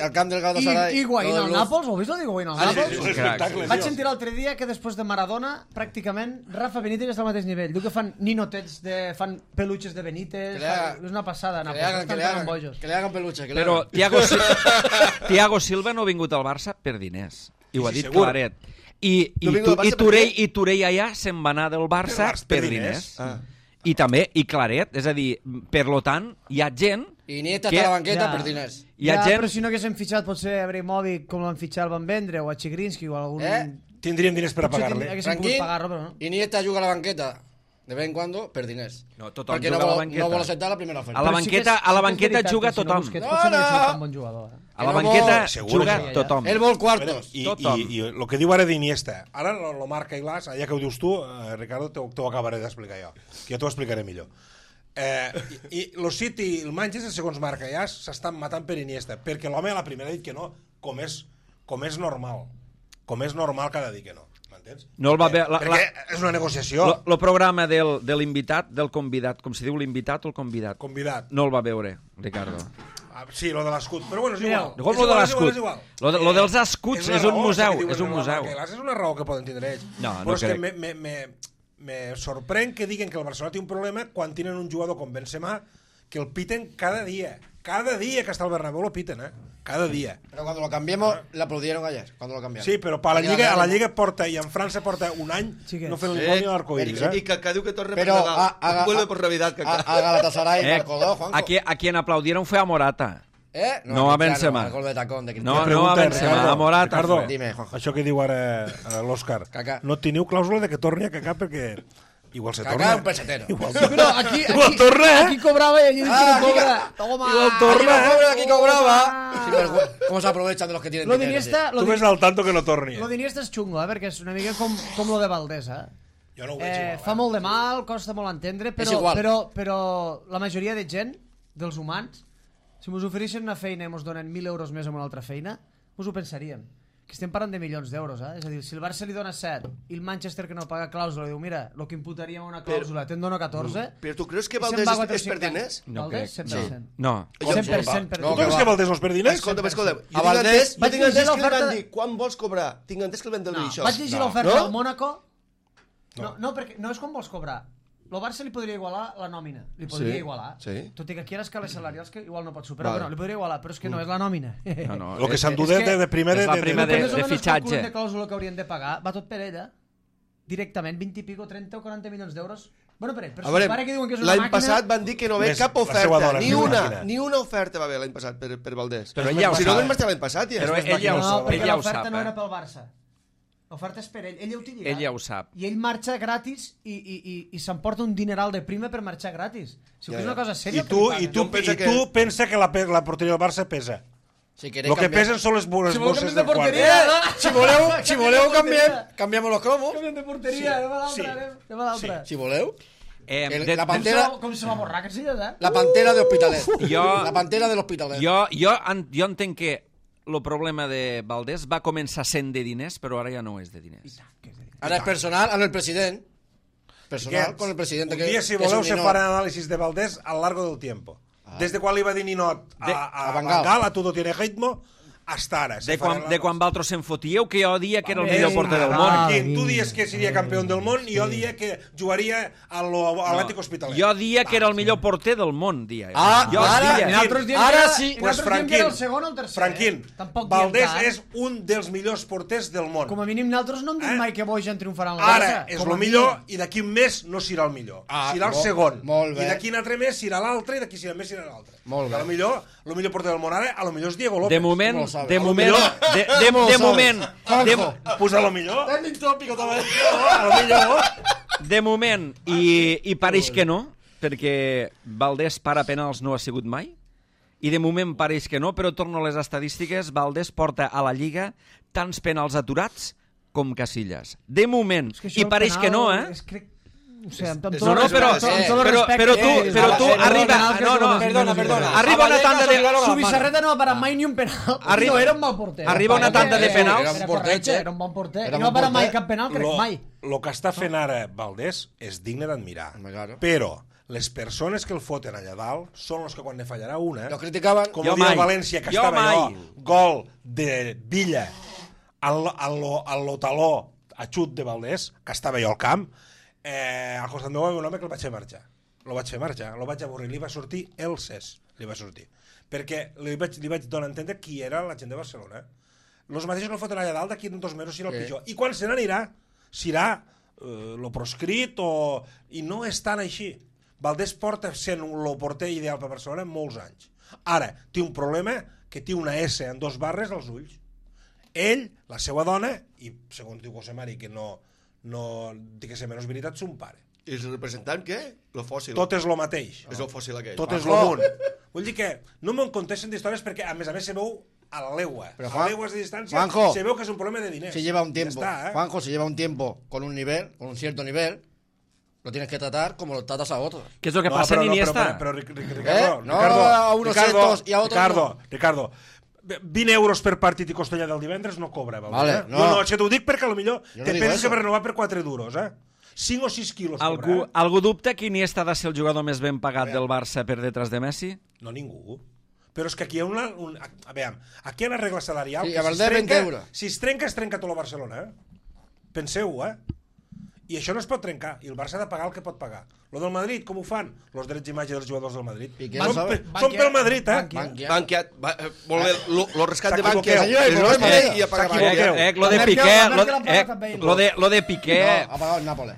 al camp del Galatasaray. I Higuaín al Nàpols, heu vist el d'Higuaín al Nàpols? Vaig sentir l'altre dia que després de Maradona, pràcticament, Rafa Benítez està al mateix nivell. Diu que fan ninotets, fan peluches de Benítez, és una passada. Que li hagan peluches. Però Thiago Silva no ha vingut al Barça per diners. I ho ha dit Claret. I Touré allà se'n va anar del Barça per diners. I també, Claret, és a dir, per lo tant, hi ha gent... I Iniesta està a la banqueta per diners. Però si no haguéssim fitxat potser a Abramovic com l'han fitxat el Van Vendre o a Chigrinsky o algun... Tindríem diners per a pagar-li. Tranquil, Iniesta juga a la banqueta de vez en cuando per diners. No, tothom perquè juga a la banqueta. No vol acceptar la primera oferta. A la banqueta juga tothom. A la banqueta juga tothom. Ell vol quartos. I el que diu ara d'Iniesta, ara lo marca Iglàs, ja que ho dius tu, Ricardo, t'ho acabaré d'explicar jo, que jo t'ho explicaré millor. I el City i el Manchester, segons marca ja, s'estan matant per Iniesta, perquè l'home a la primera ha dit que no, com és normal. Com és normal que ha de dir que no. No el va veure... Perquè és una negociació. El programa de l'invitat, del convidat, com si diu l'invitat o el convidat. Convidat. No el va veure, Ricardo. Sí, lo de l'escut, però bueno, és igual. Lo de l'escut. Lo dels escuts és un museu. És un museu. És una raó que poden tindre ells. No crec. Me sorprèn que diguen que el Barcelona té un problema quan tenen un jugador com Benzema que el piten cada dia. Cada dia que està al Bernabéu lo piten, cada dia. Pero cuando lo cambiamos, le aplaudieron ayer, cuando lo cambiaron. Sí, però a la Lliga porta, i en França porta un any no fent el gol ni l'arcoiris. I que diu que torna per Nadal. Vuelve por Navidad. A Galatasaray marcó 2, Juanjo. A quien aplaudieron fue a Morata. No a Benzema. Gol de tacón de no a Benzema, a Morata. Ricardo, dime, Juanjo. Això que diu ara l'Òscar, no teniu clàusula de que torni a Kaká perquè... Igual se torna. Kaká un pesetero. Pero igual torna, aquí cobraba y allí no cobra. Toma. Igual torna, aquí cobraba. ¿Cómo se aprovechan de los que tienen dinero? Tu ves al tanto que no torni. Lo d'Iniesta és xungo, perquè és una mica com lo de Valdés, Jo no ho veig igual. Fa molt de mal, costa molt entendre, però la majoria de gent, dels humans, si mos ofereixen una feina i mos donen 1.000 euros més amb una altra feina, mos ho pensaríem. Que estem parlant de milions d'euros, És a dir, si el Barça li dona 7 i el Manchester que no paga clàusula diu, mira, el que imputaríem a una clàusula te'n dono 14... Però tu creus que Valdés és per diners? Valdés, 100%. No. 100% per Tu creus que Valdés no és per diners? Escolta. A Valdés... Tinc entès que li van dir, quan vols cobrar? Tinc entès que li van dir això. Vaig llegir l'oferta al Mónaco. No, perquè no és com vols cobrar. El Barça li podria igualar la nòmina. Li podria igualar. Tot i que aquí hi ha escales salarials que igual no pot superar. Però li podria igualar, però és que no és la nòmina. El que s'endudet de primer de fitxatge. De clàusula que haurien de pagar va tot per ella. Directament, 20 i pico, 30 o 40 milions d'euros. Bueno, per si pare que diuen que és una màquina... L'any passat van dir que no ve cap oferta. Ni una oferta va haver l'any passat per Valdés. Però ell ja ho sap. Si no vam marxar l'any passat, ja. Però ell ja ho sap. Perquè l'oferta no era pel Barça. L'oferta és per ell. Ell ja ho té lligat. Ell ja ho sap. I ell marxa gratis i s'emporta un dineral de prima per marxar gratis. Si és una cosa sèria... I tu pensa que la porteria del Barça pesa. Si queréis Lo que cambiar- pesen són les bones Si voleu bosses canviem de del quart. porteria, Si voleu canviem los cromos. canviem de porteria, anem a l'altra, Sí. anem a l'altra. Si voleu. La Com pantera, com se va borrar, que silles, eh? la pantera de Hospitalet. Jo- La pantera de l'Hospitalet. Jo entenc que el problema de Valdés va començar sent de diners, però ara ja no és de diners. Ara és personal amb el president. Personal con el president. Un dia, si voleu, se farà anàlisis de Valdés al largo del tiempo. Desde quan li va dir Ninot a Van Van Gaal. Gaal, a Todo tiene ritmo, hasta ara. De quan vosaltres se'n fotíeu, que jo dia que era el millor porter del món. Marquín, tu dies que seria campió del món i jo dia que jugaria a l'Atlètic Hospitalet. Jo dia que era el millor porter del món, dia. Ah, jo ara, dia. I nosaltres diem Ara que era- sí. i Pues nosaltres diem que era Franquín, el segon o el tercer. Franquín, Tampoc diem Valdés tant. és un dels millors porters del món. Com a mínim nosaltres no hem dit Eh? mai que Bojan triomfarà en el Ara Barça. és Com a el millor i d'aquí un mes no serà el millor. Ah, Serà el molt- segon. molt bé. I d'aquí un altre mes serà l'altre i d'aquí un mes serà l'altre. Molt bé. A lo millor, el millor porter del món ara, a lo millor és Diego López. De moment, Com ho sabes? de A lo moment, millor. de moment, Pues a lo millor. Trending tòpico també. A lo millor. de moment, i pareix que no, perquè Valdés para penals no ha sigut mai, i de moment pareix que no, però torno a les estadístiques, Valdés porta a la Lliga tants penals aturats com Casillas. De moment, És que això i del pareix penal que no, eh? És, crec... O sigui, amb tot No, no, però tu, arriba... No, arriba una tanda de... Subissarreta no ha parat mai ni un penal. Arriba- No era un mal porter. arriba una tanda de penals. Era Era un correcte, porter, era un bon porter. Era I no ha bon parat mai porter. cap penal, crec, mai. Lo que està fent ara Valdés és digne d'admirar. Home, claro. Però les persones que el foten allà dalt són els que quan ne fallarà una, Lo criticaven. com Jo ho diu mai. el València, que Jo estava mai. allò, gol de Villa al lo taló a xut de Valdés, que estava allò al camp, al costat meu un home que el vaig fer marxar. Lo vaig avorrir, li va sortir el cés, li va sortir. Perquè li vaig donar a entendre qui era la gent de Barcelona. Los mateixos que el foten allà dalt, d'aquí en 2 mesos serà el pitjor. I quan se n'anirà, serà lo proscrit i no és tan així. Valdés porta sent el porter ideal per Barcelona molts anys. Ara, té un problema que té una S en 2 barres als ulls. Ell, la seva dona, i segons diu José Mari, que no té que ser menys veritat, son pare. I el representant, què? El fòssil. Tot és lo mateix. És el fòssil aquell. Tot és lo munt. Vull dir que no me'n contesten d'històries perquè, a més, se veu a la legua. Pero, A legües de distància Juanjo, se veu que és un problema de diners. Si lleva un tiempo, Ja està, Juanjo, si lleva un tiempo con un nivel, con un cierto nivel, lo tienes que tratar como lo tratas a otros. Què és el que passa en Iniesta? Però, Ricardo, No, a unos estos y a otros Ricardo, 20 euros per partit i Costellà del divendres no cobra. Vale, no. no. No, això t'ho dic perquè potser Jo no te digo penses eso. que va renovar per 4 duros, 5 o 6 quilos cobra, Algú dubta que Iniesta ha de ser el jugador més ben pagat del Barça per detrás de Messi? No, ningú. Però és que aquí hi ha a veure, aquí hi ha una regla salarial Sí, que a Valdés 20 euros. Si es trenca tot el Barcelona, Penseu-ho, I això no es pot trencar, i el Barça ha de pagar el que pot pagar. Lo del Madrid, com ho fan? Los drets d'imatge dels jugadors del Madrid. Piqué, Són, sabe? són pel Madrid, Bankia. Banquiat, molt bé, lo rescat de S'equivoqueu. Banquiat. Señor, el problema és I a pagar s'equivoqueu. Banquiat. Lo de La Piqué, Merkel l'ha pagat també. lo de Piqué... No, ha pagado el Nápoles.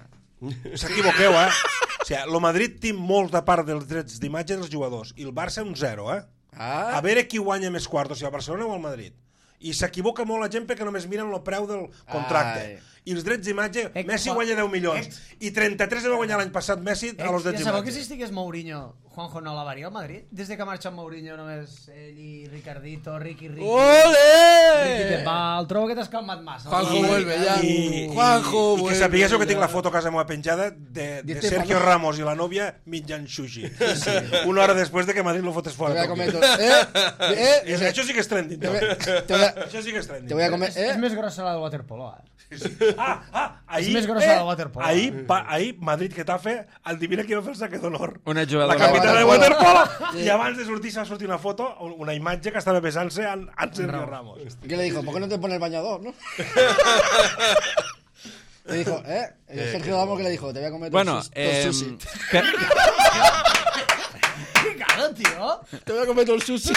S'equivoqueu, O sigui, el Madrid té molta part dels drets d'imatge dels jugadors, i el Barça un 0, Ah. A veure qui guanya més quartos, si el Barcelona o el Madrid. I s'equivoca molt la gent perquè només miren el preu del contracte. Ai. I els drets d'imatge, Ec, Messi fa- guanya 10 milions. I 33 va guanyar l'any passat Messi a los drets Ja sabeu que si d'imatge. estigués Mourinho, Juanjo no l'avaria al Madrid? Des de que ha marxat Mourinho només ell i Ricardito, Ricky. Ricky ¡Ole! Pepal, trobo que t'has calmat massa. Juanjo vuelve ya. Juanjo I que vuelve sapiguéssiu que ya. tinc la foto a casa meva penjada de Di Sergio Stefano. Ramos i la nòvia menjant sushi. Una hora després de que Madrid lo fotés Te fora. voy a Tokio. comer. Això sí que és trending. Te voy també. a- Això sí que és trending. te voy a comer. És més grossa la del waterpolo, Ahir, És més grossa la waterpolo. ahir Madrid-Getafe, adivina qui va fer el saque d'honor. Una La jugadora capitana de waterpolo. waterpolo. I abans de sortir s'ha sortit una foto, una imatge que estava besant-se amb Sergio Ramos. ¿Qué le dijo? ¿Por qué no te pones el bañador, no? Le dijo, Sergio Ramos que le dijo, te voy a comer Bueno, todo el sushi. per- Claro, tío. Te voy a comer todo el sushi.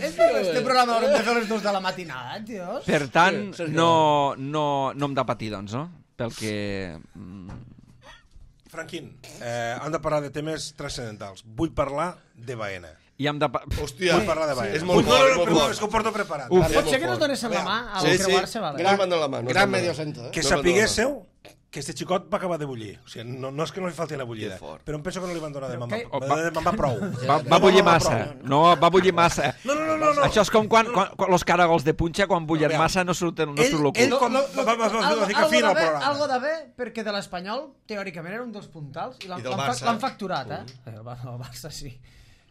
Este programa haurem de fer les 2 de la matinada, tio. per tant, Sergio. no em da patir, doncs, no? Pel que... Franquín, hem de parlar de temes transcendentals. Vull parlar de Baena. I hem de... Hòstia, Vull parlar de Baena. és molt no, fort, no, molt no, fort. és que ho porto preparat. Pot ser que no es donessin la mà al Sí, creuar-se, sí, vale? gran man de la mà. no Gran se'n va. medio centro, Que No, sapiguéssiu que este xicot va acabar de bullir. O sigui, no és que no li falti una bullida, Que fort. però em penso que no li van donar de Però mamar prou. Va bullir massa. No, va bullir massa. No. Això és com quan los caragols de punxa, quan bullen Aviam. massa, no surt el Ell cul. quan va ficar fi al programa. Algo de bé, perquè de l'Espanyol, teòricament, era un dels puntals, i I del Barça. l'han facturat, El Barça sí.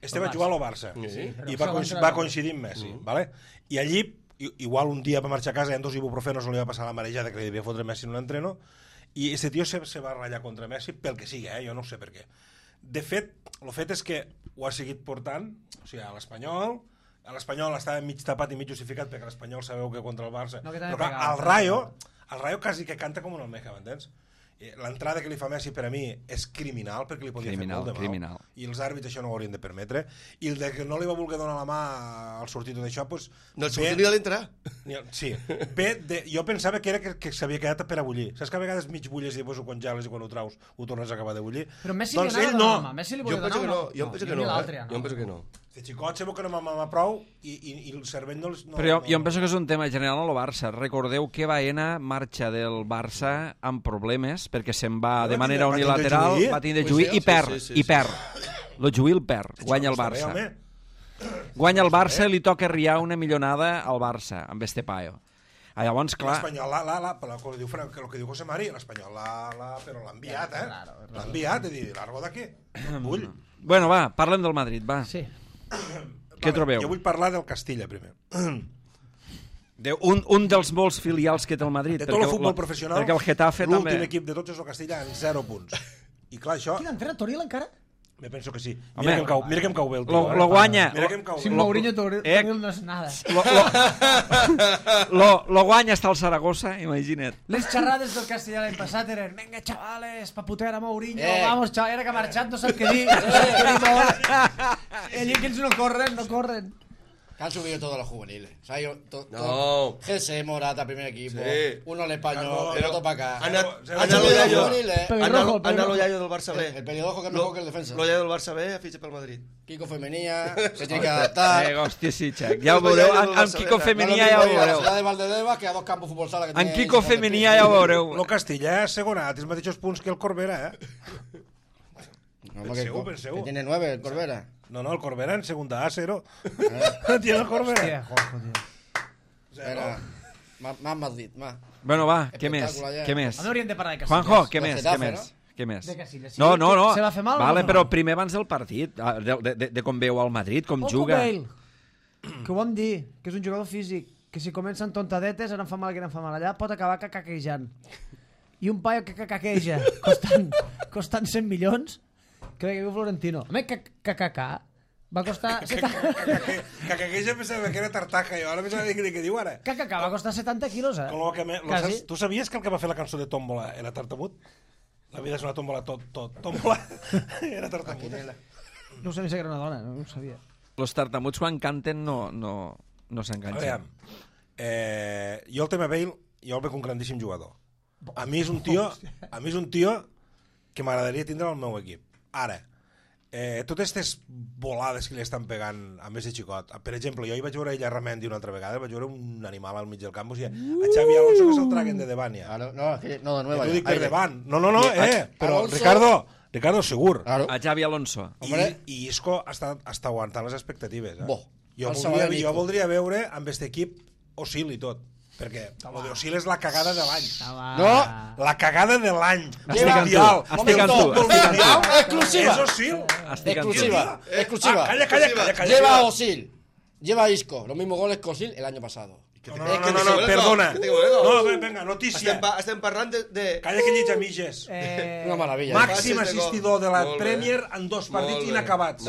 Este va jugar al Barça Sí. i Però va coincidir amb Messi, ¿vale? I allí, igual un dia va marxar a casa i en 2 ibuprofenos no li va passar la marejada que li devia fotre Messi en un entreno, i este tio se va ratllar contra Messi pel que sigui, jo no sé per què. De fet, el fet és que ho ha seguit portant, o sigui, a l'Espanyol estava mig tapat i mig justificat perquè l'Espanyol sabeu que contra el Barça, No, que també però clar, pegava. el Rayo quasi que canta com un almeja, m'entens? L'entrada que li fa Messi per a mi és criminal, perquè li podia fer molt de mal. Criminal. I els àrbits això no ho haurien de permetre. I el de que no li va voler donar la mà al sortit d'això, doncs... No el sortit ni a l'entrar. Sí. Jo pensava que era que s'havia quedat per a bullir. Saps que a vegades mig bulles i després ho congeles i quan ho traus ho tornes a acabar de bullir? Però Messi doncs li ell anava a no. donar la mà. Messi li Jo volia penso donar que no. o Jo penso que ni no. l'altre, Jo penso que no. Este xicot sembla que no m'ha prou i el cervell no... Però jo em penso que és un tema general al Barça. Recordeu que Baena marxa del Barça amb problemes perquè se'n va de manera unilateral, va tindre Juí i perd, i perd. Lo Juí el perd, guanya el Barça. Guanya el Barça i li toca riar una millonada al Barça, amb este paio. Llavors, clar... L'Espanyol, el que diu José Mari, l'Espanyol, però l'ha enviat, L'ha enviat, és dir, largo d'aquí. Vull. Bueno, va, parlem del Madrid, va. Sí. Què trobeu? Jo vull parlar del Castilla, primer. Un dels molts filials que té el Madrid. De tot el futbol professional, perquè el Getafe també... l'últim equip de tots és el Castilla amb 0 punts. I clar, això... Quin entrenador, Toril encara? Me penso que sí. Home, Mira que em cau bé el tio. Lo guanya. Mira que em cau bé. Sin Mourinho, Toril no és nada. Lo guanya està el Saragossa, imagina't. Les xerrades del Castellà l'any passat eren venga, chavales, pa putear a Mourinho, vamos, chaval, era que ha marxat, no sap què dir. Allí que ells no corren. Que han subido todos los juveniles. O sea, No. GC, Morata, primer equipo. Sí. Uno al español, Carlos, el otro para acá. Ana lo Yayo. Pelirrojo. Lo Yayo del Barça B. El pelirrojo que es mejor que el defensa. Lo Yayo del Barça B fitxa pel Madrid. Kiko Femenía, se tiene que adaptar. Hòstia, sí, Xac. Ja ho veureu. Amb Kiko Femenia ja ho veureu. La de Valdebebas, que a dos campos fútbol sala que Amb Kiko Femenia ja ho veureu. Lo Castilla és segonat, els mateixos punts que el Corbera, No, Penseu. que tiene 9 el Corbera. No, el Corbera en segunda A, 0. Tiene el Corbera. Hòstia, Juanjo, tio. Era más Madrid, más. Bueno, va, què més? Espectacle, ja. Què més? No hauríem de parlar de Casillas. Juanjo, què Del més? Getafe, Què més? Què més? De Casillas, sí. No. Se va fer mal o no Vale, va fer però mal? primer abans del partit, de com veu el Madrid, com Ojo juga. Bale, que ho vam dir, que és un jugador físic, que si comencen tontadetes, ara em fa mal, que ara em fa mal allà, pot acabar cacaquejant. I un paio que cacaqueja, costant 100 milions, crec que viu Florentino. Home, cacaca va costar... Cacaqueja pensava que era tartaja, jo ara pensava que diu ara. Cacaca va costar 70 quilos, Quasi. Tu sabies que el que va fer la cançó de Tómbola era tartamut? La vida és una tómbola tómbola. Era tartamut. No ho sabia si era una dona, no ho sabia. Los tartamuts quan canten no s'enganxen. Jo el tema Bale, jo el veig un grandíssim jugador. A mi és un tio que m'agradaria tindre al meu equip. Ara, totes aquestes volades que li estan pegant a més de xicot, per exemple, jo hi vaig veure ella Ramendi una altra vegada, vaig veure un animal al mig del camp, o sigui, a Xavi Alonso que se'l traguen de davant ja. No, de nueva. T'ho dic per davant. No, però Alonso... Ricardo segur. Claro. A Xavi Alonso. I Isco està aguantant les expectatives. Bo. Jo voldria veure amb aquest equip Osil i tot. Perquè el d'Osil és la cagada de l'any. No. La cagada de l'any. Estic amb tu. Exclusiva. És Osil. Exclusiva. Calla. Lleva a Osil. Lleva a Isco. Los mismos goles que Osil el año pasado. No, perdona. No, venga, notícia. Estem parlant de... Calla que llitja mitges. Una maravilla. Màxim assistidor de la Premier en 2 partits inacabats.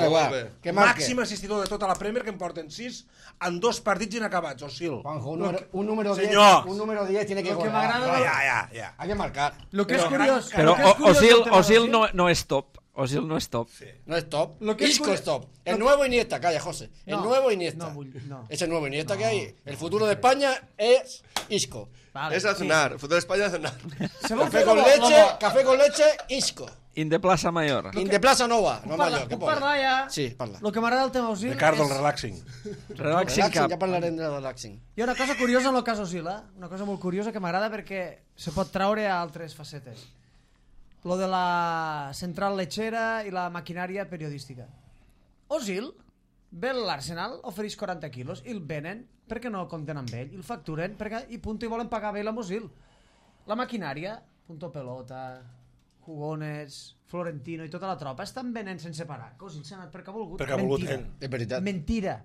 Màxim assistidor de tota la Premier, que en porten 6 en 2 partits inacabats, Osil. Juanjo, un número 10. Señor. Un número 10 tiene que Lo que golear. m'agrada... Ja. Hay que marcar. Lo que és curiós... Però lo que és curiós del tema Osil d'Osil- no és top. Osil no és top. No es top. Lo que es Isco curioso- es top. El nuevo Iniesta, calla, José. El No, nuevo Iniesta. no. Es el nuevo Iniesta que hay. El futuro de España es Isco. Vale, És a cenar. Fotó d'Espanya a cenar. Se vol Café fer con lo- leche, lo- café con leche, Isco. Inde Plaça Mayor. Inde Plaça Nova. No Mayor, que Puc parlar ja? Sí, parla. El que m'agrada del tema Osil Ricardo, el és... relaxing. Relaxing Relaxing, ja Cup. parlarem de relaxing. Hi ha una cosa curiosa en el cas Osil, una cosa molt curiosa que m'agrada perquè se pot traure a altres facetes. Lo de la central lechera i la maquinària periodística. Osil ve a l'Arsenal, ofereix 40 quilos i el venen perquè no compten amb ell, i el facturen perquè, i punto, i volen pagar bé la Osil. La maquinària, Punto Pelota, Jugones, Florentino i tota la tropa estan venent sense parar. Que Osil s'ha anat perquè ha volgut. Perquè ha volgut Mentira. ell. És veritat. Mentira.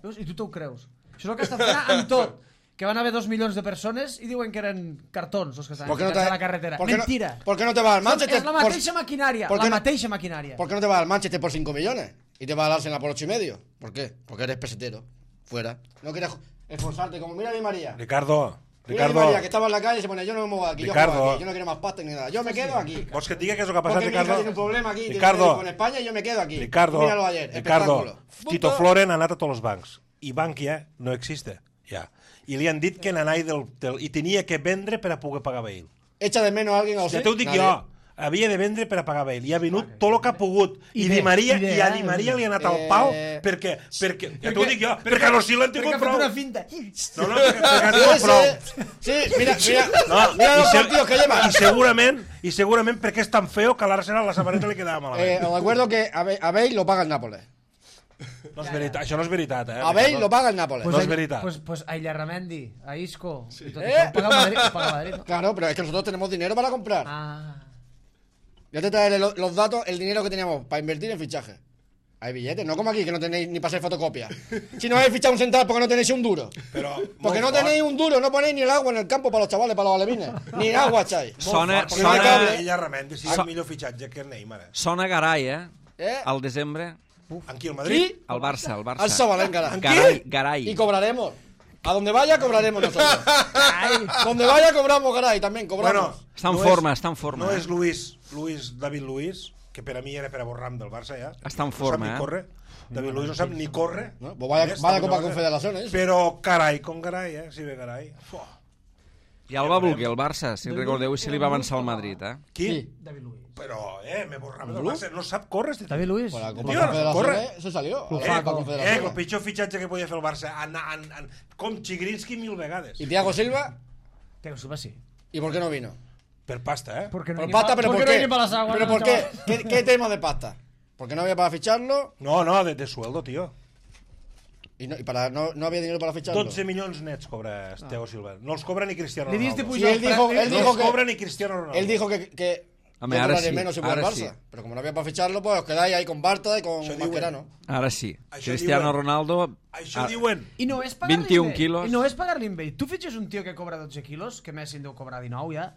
Veus? I tu t'ho creus. Això és el que està fent amb tot. Que van haver 2 milions de persones i diuen que eren cartons els que estaven ficats a la carretera. Mentira. ¿Por qué no te vas al Manchester? És la mateixa maquinària. ¿por qué La no- mateixa maquinària. ¿Por qué no te vas al Manchester por 5 millones? Y te vas al Arsenal por 8,5. ¿Por qué? Porque eres pesetero. Fuera. No quieres esforzarte como mira a mi María. Ricardo, Mira a mi María, que estaba en la calle y se pone, yo no me muevo de aquí, Ricardo. yo juego aquí, yo no quiero más pasta ni nada. Yo me quedo aquí. vols que et digui què és el que ha passat, Porque mi hija Ricardo? tiene un problema aquí, tiene un Ricardo, médico en España y yo me quedo aquí. Ricardo, Míralo ayer, Ricardo, espectáculo. Tito Floren ha anat a tots els bancs i Bankia no existe, ja. I li han dit que n'anai i tenia que vendre per a poder pagar Bale. Echa de menos a alguien a Ja usted. t'ho dic Nadie. jo. Havia de vendre per a pagar Bale i ha venut tot el que ha pogut i Di Maria li ha anat al pal perquè ja t'ho dic jo, perquè no s'hi l'han tingut Perquè ha fet prou. una finta. No, perquè han tingut prou. Sí, mira No, los partidos que lleva. I segurament perquè és tan feo que a l'Arsenal la samarreta li quedava malament. Os recuerdo que a Bale lo paga el Nápoles. No és veritat, això no és veritat, A Bale lo paga el Nápoles. No és veritat. Pues a Illarramendi, a Isco, y todo eso. Paga Madrid, paga Madrid, ¿no? Claro, pero es que nosotros tenemos dinero para comprar. Ah. Ya te traeré los datos, el dinero que teníamos para invertir en fichaje. Hay billetes, no como aquí, que no tenéis ni para hacer fotocopia. Si no habéis fichado un central porque no tenéis un duro. Porque no tenéis un duro, no ponéis ni el agua en el campo para los chavales, para los alevines. Ni agua echáis. Sona, Porque no hay cable. Ella Ramendi, sí, el millor fitxatge que Neymar. Sona Garay, ¿Eh? Al desembre. Aquí al Madrid. Al Barça, al Al Barça. Sabalenca. Garay. Y cobraremos. A donde vaya cobraremos nosotros. Donde vaya cobramos, caray, también cobramos. Bueno, Està en forma, està en forma. No és David Luiz, que per a mi era per a borrar-me del Barça ja. Està en No forma, sap ni córrer. David Luiz no sap ni córrer. ¿No? Pues vaya Copa Confederaciones. Però carai, com carai, si ve carai. Ja el va voler el Barça, si recordeu, i se li va avançar al Madrid, Qui? David Luiz. Però, me borrava del Barça. No sap córrer, este David Luiz. Pues la Copa Tío, corre. Confederaciones se salió. A la Copa el Confederaciones. pitjor fitxatge que podia fer el Barça. Com Chigrinsky 1000 vegades. Y Thiago Silva, Thiago Silva sí. ¿y por qué no vino? Per pasta, Porque no Por hay pasta, ni pero porque ¿por no hay qué? ni para las aguas, ¿Pero no, por qué? chaval. ¿Qué tema de pasta? Porque no había para ficharlo No, de sueldo, tío. y no había dinero para ficharlo. 12 milions nets cobra Thiago Silva. No els cobra ni Cristiano Li diste Ronaldo. Sí, pujar él dijo No que els cobra ni Cristiano Ronaldo. él dijo que Hombre, yo ahora cobraré sí, menos si voy al ahora Barça. sí. Pero como no había para ficharlo, pues os quedáis ahí con Barta y con Això Mascherano. Ara sí. Això Cristiano diuen. Ronaldo... Això diuen. I no és pagar-li 21 bé. quilos. I no és pagar-li bé. Tu fitxes un tio que cobra 12 quilos, que Messi en deu cobrar 19 ja,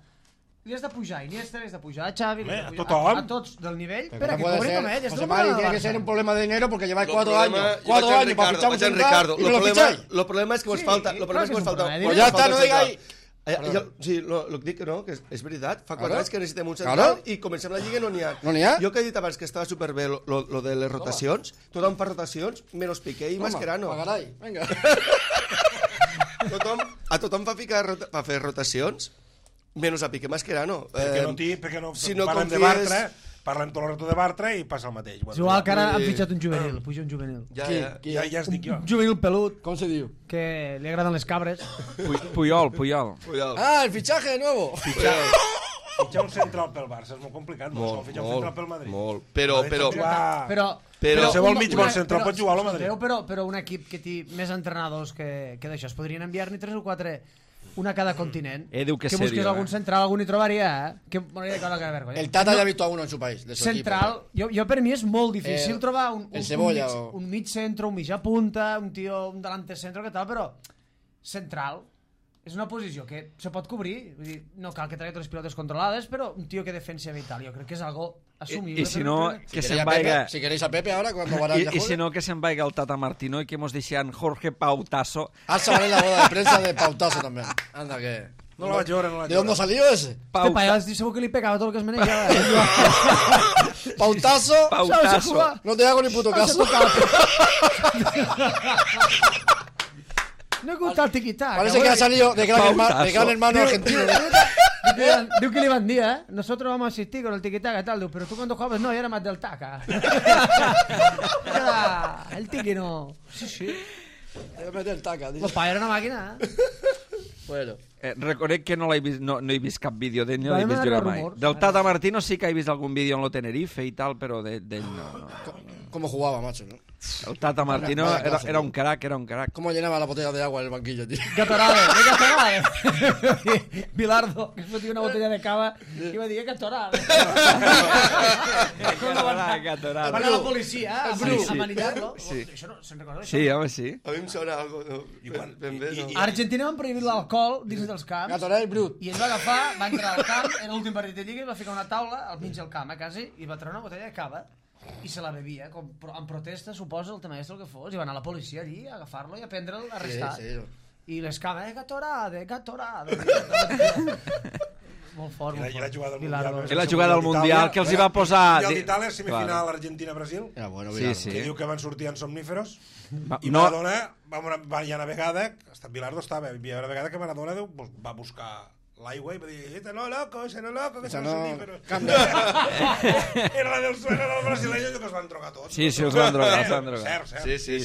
li has de pujar a Iniesta, li has de pujar a Xavi, li has de A pujar tothom. a tots del nivell, Pero per a no que puede cobri ser, com ell. És José el Mari, problema tiene del que ser Barça. un problema de dinero porque lleváis Lo 4 problema- años. yo 4 vaig al años para Ricardo, fichar un vaig al central Ricardo. y no lo ficháis. Lo problema és que vos Sí, falta... clar Lo problema és que que vos és un falta... problema. Pues ya está, no central. digáis... Sí, lo que dic, no, que és veritat. Fa 4 Claro. anys que necessitem un central Claro. i comencem la lliga i no n'hi ha. No n'hi ha. Jo que he dit abans que estava superbé lo de les rotacions, tothom fa rotacions, menys Piqué i Mascherano. Pagaray, venga. A tothom fa fer rotacions, menys a Piqué i Mascherano. Perquè no si no parlen de confies- Bartra, parlen tot el rato de Bartra i passa el mateix. És igual que ara han Sí. fitxat un juvenil, puja un juvenil. Ja, Qui? ja. Qui? Ja es dic jo. Un juvenil pelut, ¿Cómo se diu? que li agraden les cabres. Puyol. Cuidado. Ah, el fichaje de nuevo. Fitxar un central pel Barça és molt complicat, no? Molt, Fitxar un central pel Madrid. molt. Però- Però qualsevol un- mig una- bon central però- pot jugar al Madrid. Però un equip que té més entrenadors que d'això, es podrien enviar-ne 3 o 4, una a cada continent. Diu que busqués serio, algun central, algun hi trobaria, Que m'hauria de caure la vergonya. El Tata ya ha visto a uno en su país. De su Central, jo per mi és molt difícil trobar el Cebolla un mig centre, un mitjà punta, un tio, un delante centre, que tal, però central és una posició que se pot cobrir, vull dir, no cal que tregui totes les pilotes controlades, però un tio que defensa bé i tal, jo crec que és algo assumible. I si no, que se'n Si vaiga... queréis a Pepe ahora, cuando Varane ya I si juegue. no, que se'n vaiga el Tata Martino i que mos deixen Jorge Pautasso. Alza vale la boda de prensa de Pautasso también. Anda que... No la vaig veure, no la vaig ¿De dónde ha salido ese? Este paio segur que li pegava tot el que es menejava. Pautasso, Pautasso. no te hago ni puto caso. No he gustat el tiquitac. Parece que ha salido de gran hermano Pautasso. argentino. De diu que li van dir, nosotros vamos a asistir con el tiquitaca, tal, diu, pero tú cuando jugabas no, yo era más del taca. Era el tiqui no. Sí. Debe meter el taca, tío. Pues pa, era una màquina, Bueno. Reconec que no he vist cap vídeo d'ell, no Va, l'he vist m'ha jugar arribat mai. rumors. Del Tata Martino sí que he vist algun vídeo en lo Tenerife i tal, però d'ell no. ¿Cómo jugaba, macho? ¿no? El Tata Martino era un crack, ¿Cómo llenaba la botella de agua en el banquillo, tío? Gatorade. Bilardo, que es fotia una botella de cava i va dir, Gatorade. Gatorade. Van a la policia, a Sí, sí. manillar-lo. Sí. Això no, se'n recorda? Sí, home, sí. A mi em sona algo ben bé, no? A Argentina van prohibir l'alcohol dins dels camps. Gatorade Brut. I ell va agafar, va entrar al camp, en l'últim partit de Lliga, i va ficar una taula al mig del camp, quasi, i va treure una botella de cava i se la bevia, en protesta, suposa, el tema el que fos, i va anar a la policia allí a agafar-lo i a prendre'l, a arrestar. Sí. I les cames, Gatorade. Molt fort, molt I la fort. jugada del Bilardo. Mundial. I la jugada del Mundial, que els hi va posar... Mundial d'Itàlia, semifinal Argentina-Brasil, Era bueno, Sí, sí. que diu que van sortir en somníferos, i No, Maradona, hi ha una vegada, Bilardo estava, hi ha una vegada que Maradona va buscar l'aigua i va dir, ese no loco, que són no, somníferos. cambia. Era la del suelo del brasileño que els van drogar tots. Sí, els van drogar, Cert. Sí.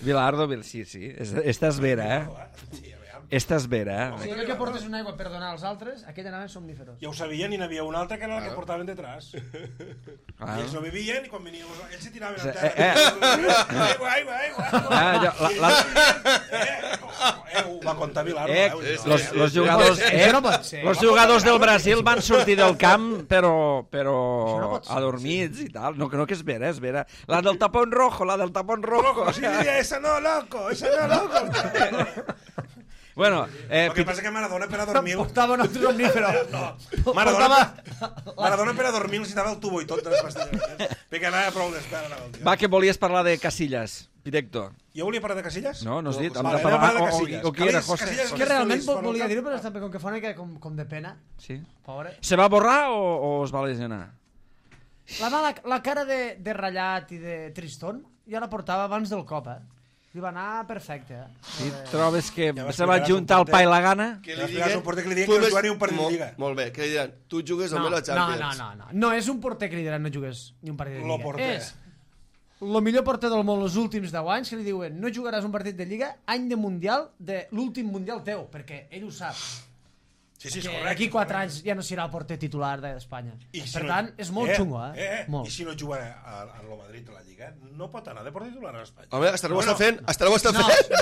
Bilardo, sí. Esta és vera, Sí, a veure. Esta és vera, Si allò que portes una aigua per donar als altres, aquell anaven somníferos. Ja ho sabien i n'hi havia un altre que era el que portaven detrás. I Ah. ells no bevien i quan venien ells se tiraven Sí, a terra. Aigua. Ho va contar Bilardo. Los jugadors, Això no pot ser. los jugadors del Brasil van sortir del camp, però no pot ser, adormits i tal. No, que és vera. La del tapón rojo. Loco, sí, esa no, loco. Bueno, El que passa que Maradona per a dormir... Portava un altre somnífero. Maradona per a dormir necessitava el tubo i tot de les pastilles. Perquè anava prou d'espera. va, que volies parlar de Casillas, Directo. Jo volia parlar de Casillas? No has dit? Vale, anem a parlar de O Casillas. qui era, José? Casillas És que realment feliç, volia bueno, dir-ho, però també com que fa una mica com de pena. Sí. Pobre. Se va borrar o es va lesionar? La cara de ratllat i de tristón ja la portava abans del cop, Li va anar perfecte, I trobes que Ja vas se va explicar, juntar el suporter. pa i la gana? Que li diguin... que no jugui un partit de Lliga. Molt bé, que li diran, tu jugues No, només la Champions. no. No és un porter que li diran no jugues ni un partit de Lo Lliga. porter. És el millor porter del món els últims 10 anys que li diuen no jugaràs un partit de Lliga any de Mundial de l'últim Mundial teu, perquè ell ho sap. Sí, és Que correcte. d'aquí 4 anys ja no serà el porter titular d'Espanya. I si Per no- tant, és molt xungo, Molt. I si no juga a lo Madrid a la Lliga, no pot anar de porter titular a Espanya. Home, hasta ho està fent, No, fent.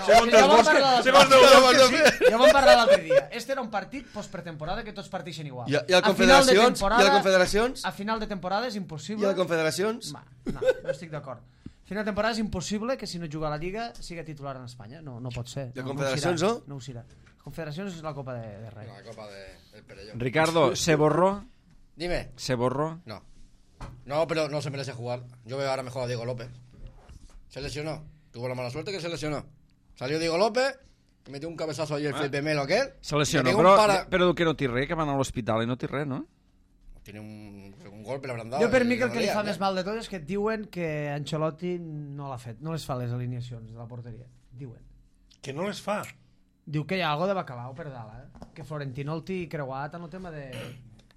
Segons ja els vam bosques, parlar segons l'altre els dia. bosques, Ja vam parlar l'altre dia. Este era un partit postpretemporada que tots parteixen igual. I a A final de confederacions? temporada- I a confederacions? A final de temporada és I impossible... a les confederacions? No estic d'acord. A final de temporada és impossible que si no juga a la Lliga siga titular en Espanya. No pot ser. I a confederacions, no? No ho serà. Confederacions és la Copa de Rei. La copa del Perellón. Ricardo, ¿se borró? Dime. ¿Se borró? No. No, pero no se merece jugar. Yo veo ahora mejor a Diego López. Se lesionó. Tuvo la mala suerte que se lesionó. Salió Diego López, metió un cabezazo ahí el Felipe Melo aquel. Se lesionó, le pegó un però que no té res, que van a l'hospital i no té res, no? Tiene un golpe, le habrán dado. Jo per mi y que el que li dolía, fa més mal de tot és que et diuen que Ancelotti no l'ha fet, no les fa les alineacions de la porteria. Diuen. Que no les fa. Diu que hi ha algo de bacalao per dalt, Que Florentino el té creuat en el tema de...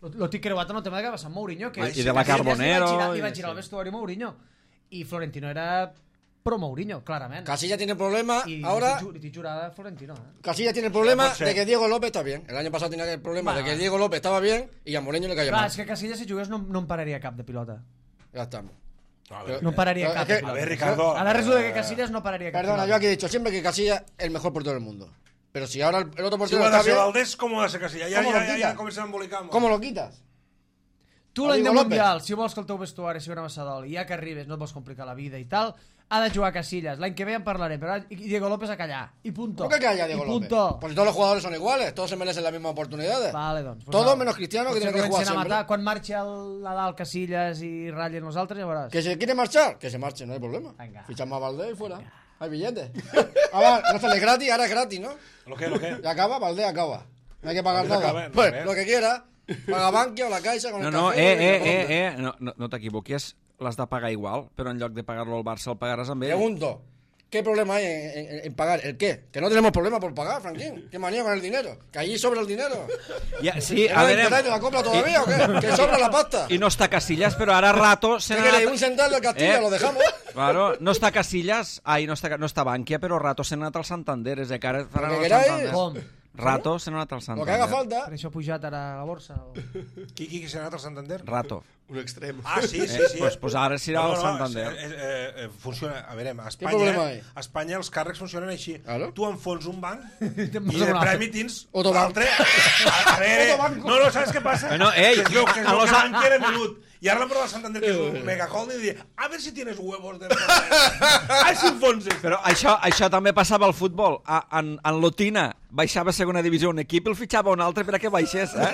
Lo té creuat en el tema de que va Sant Mourinho, que... I de la Carbonero, I va i girar sí. el vestuari Mourinho. I Florentino era pro Mourinho, clarament. Casilla tiene el problema I ahora. li té jurada Florentino, Casilla tiene el problema Sí, pot ser. de que Diego López está bien. El año pasado tenía el problema de que Diego López estaba bien y a Mourinho le cayó Clar, mal. és que Casillas si jugués no em pararia cap de pilota. Ya estamos. A ver, No pararia Es cap que- de pilota. a ver, Ricardo. Ara resulta que Casillas no pararia cap Perdona, yo pilota. aquí he dicho siempre que Casilla es el mejor portero del mundo. Pero si ahora el otro Si portero ho ha está de ser bien, Valdés, com ho ha de ser Casilla? ¿Cómo lo Ja quita? comencem a embolicar. ¿cómo lo quitas? Tu a l'any de Diego López. Mundial, si vols que el teu vestuari sigui una massadol i ja que arribes no et vols complicar la vida i tal, ha de jugar Casillas. L'any que ve en parlarem, però i Diego López a callar. I punto. ¿Por qué calla Diego I López? punto. Pues todos los jugadores son iguales, todos se merecen las mismas oportunidades. Vale, doncs. Todos menos Cristiano, que Potser tiene que jugar comencen a siempre. matar. Quan marxi el Nadal, Casillas i ratllen els altres, ja veuràs. ¿Que se quiere marchar? Que se marche, no hay problema. Venga. Fichamos a Valdés y fuera. Hay billetes. Ahora no sale gratis, ahora es gratis, ¿no? Lo que? Ya acaba, Valdés acaba. No hay que pagar Valdés nada. acaba, no, Pues ves. lo que quiera. Paga Bankia o la Caixa con No, el no, café. no t'equivoquis, l'has de pagar igual, però en lloc de pagar-lo al Barça el pagaràs amb ell. Pregunto, ¿Qué problema hay en pagar? ¿El qué? Que no tenemos problema por pagar, Franquín. ¿Qué manía con el dinero? Que allí sobra el dinero. Sí, ¿No interés de la compra todavía o qué? Que sobra la pasta. I no està Casillas, però ara Rato se ¿Qué n'ha queréis? anat... Un central del Castilla, lo dejamos. Claro, no està Casillas, no està Bankia, però Rato se n'ha anat al Santander, és que ara faran Lo que el queráis. Santander. Com? Rato se n'ha anat al Lo que Santander. haga falta. Per això ha pujat ara a la borsa? O... Qui s'ha anat al Santander? Rato. Un extrem. Ah, sí. Pues ara s'irà al Santander. Funciona, a veure, a problema hi? a Espanya els càrrecs funcionen així. Claro. Tu enfons un banc i Te'n de vas a un premi tens Autobanc. l'altre. A veure, no, saps què passa? Bueno, ei, que es veu que a los- Bankia era minut. I ara l'han provat al Santander, que és un megaholding, i dir, a ver si tienes huevos de... Ai, si enfonses. Però això també passava al futbol. En Lotina baixava a segona divisió un equip i el fitxava un altre per a que baixés, A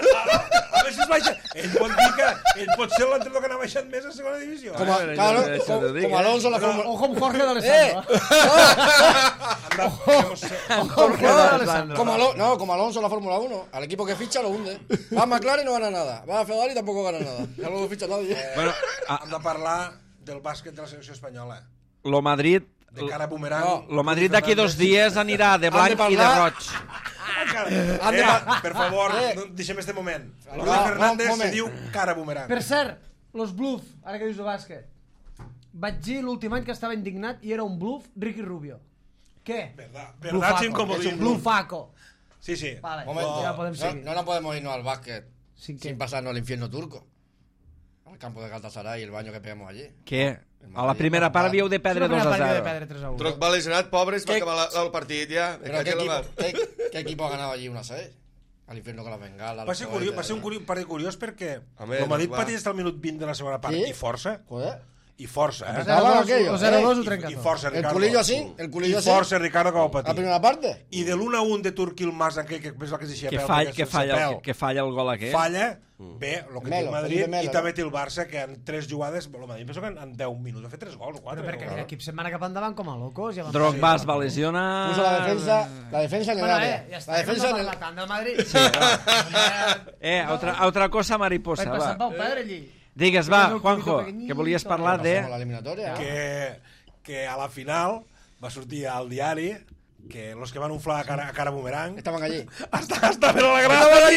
veure si es baixa. Ell pot dir que ell pot ser l'entrenador que n'ha baixat més a segona divisió. Como Alonso la Fórmula... Ojo amb Jorge d'Alessandro. Jorge d'Alessandro. Como Alonso la Fórmula 1. Al equipo que ficha lo hunde. Va a McLaren y no gana nada. Va a Ferrari y tampoco gana nada. Ya no lo ficha nadie. Bueno, Hem de parlar del bàsquet de la selecció espanyola. lo Madrid... De cara a bumerang. Lo Madrid d'aquí 2 dies anirà de blanc i de roig. Per favor, no deixem este moment. Rudy Va, Fernández moment. se diu cara bumerang. Per cert, los bluff, ara que dius de bàsquet. Vaig dir l'últim any que estava indignat i era un bluff Ricky Rubio. Què? Verdad sin comodín. Bluffaco. Sí. Vale, Momento. ya podem seguir. No podemos irnos al básquet Sin sin pasarnos al infierno turco. Al campo de Galatasaray y el baño que pegamos allí. Què? A la primera part havíeu de perdre 2 a 0. 3-1. Drogba lesionat, pobres, va acabar el partit ja. Pero ¿qué equipo ha ganado allí una 6? Al infierno con las bengalas. Va ser un partit curiós perquè Home, el Madrid va. pateix hasta el minut 20 de la segona part Sí? i força. Joder. I força, eh? Estaban aquellos. 0-2 ho I trenca tot. força, El Ricardo. culillo así, el culillo I así. força, Ricardo, que ho La patir. primera parte. I de l'1-1 de Turquil Mas, aquell que és el que es deixia Que peu, falla el gol aquest. falla, bé, el que té el Melo, Madrid, Felipe Melo, i també no? té el Barça, que en 3 jugades, el Madrid penso que en 10 minuts ha fet 3 gols, 4. Però perquè aquell equip se'n va anar cap endavant com a locos. Ja Drogba es va lesionar... Puso la defensa en el Bueno, área. ja està, La defensa en el... la tant del Madrid. Otra cosa mariposa, Vaig passant va. Pau Pedre allí. Digues, va, Tienes un Juanjo, culito pequeñito. que volies parlar de... Pasamos la eliminatoria. Que a la final va sortir al diari que los que van inflar a cara bumerang Estaban allí. estaven a la grada,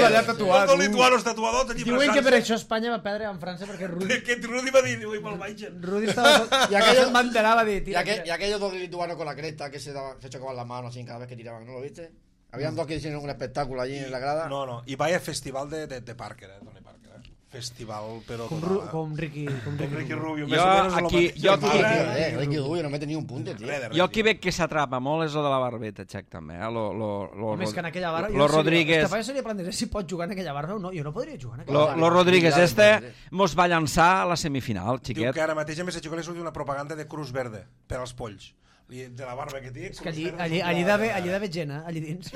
allà tatuats. els lituanos tatuadors allí Diuen que per abraçant-se. això Espanya va perdre amb França perquè Rudi, Que Rudy va dir, ui, me'l baixen. Rudi estava... Y aquellos- va enterar, va dir, Y, tira, y aquellos dos lituanos con la cresta que se chocaban las manos así cada vez que tiraban, ¿no lo viste? Habían dos que hicieron un espectáculo allí en la grada. No, i vaya festival de Parker, Tony Parker, Festival, però com, total, com Ricky Ricky Rubio. Jo més o menys és el aquí- mateix. jo aquí- Mare, Ricky Rubio no mete ni un punto, tío. res, Jo aquí veig que s'atrapa molt és lo de la barbeta, Xec, també. Home, és que en aquella barra... Lo Rodríguez... Este paio seria plantejar si pot jugar en aquella barra o no. Jo no podria jugar en aquella barra. Lo Rodríguez mos va llançar a la semifinal, Diu xiquet. que ara mateix a més li surt una propaganda de Cruz Verde per als polls. De la barba que té. És que allí d'haver gent, allí dins.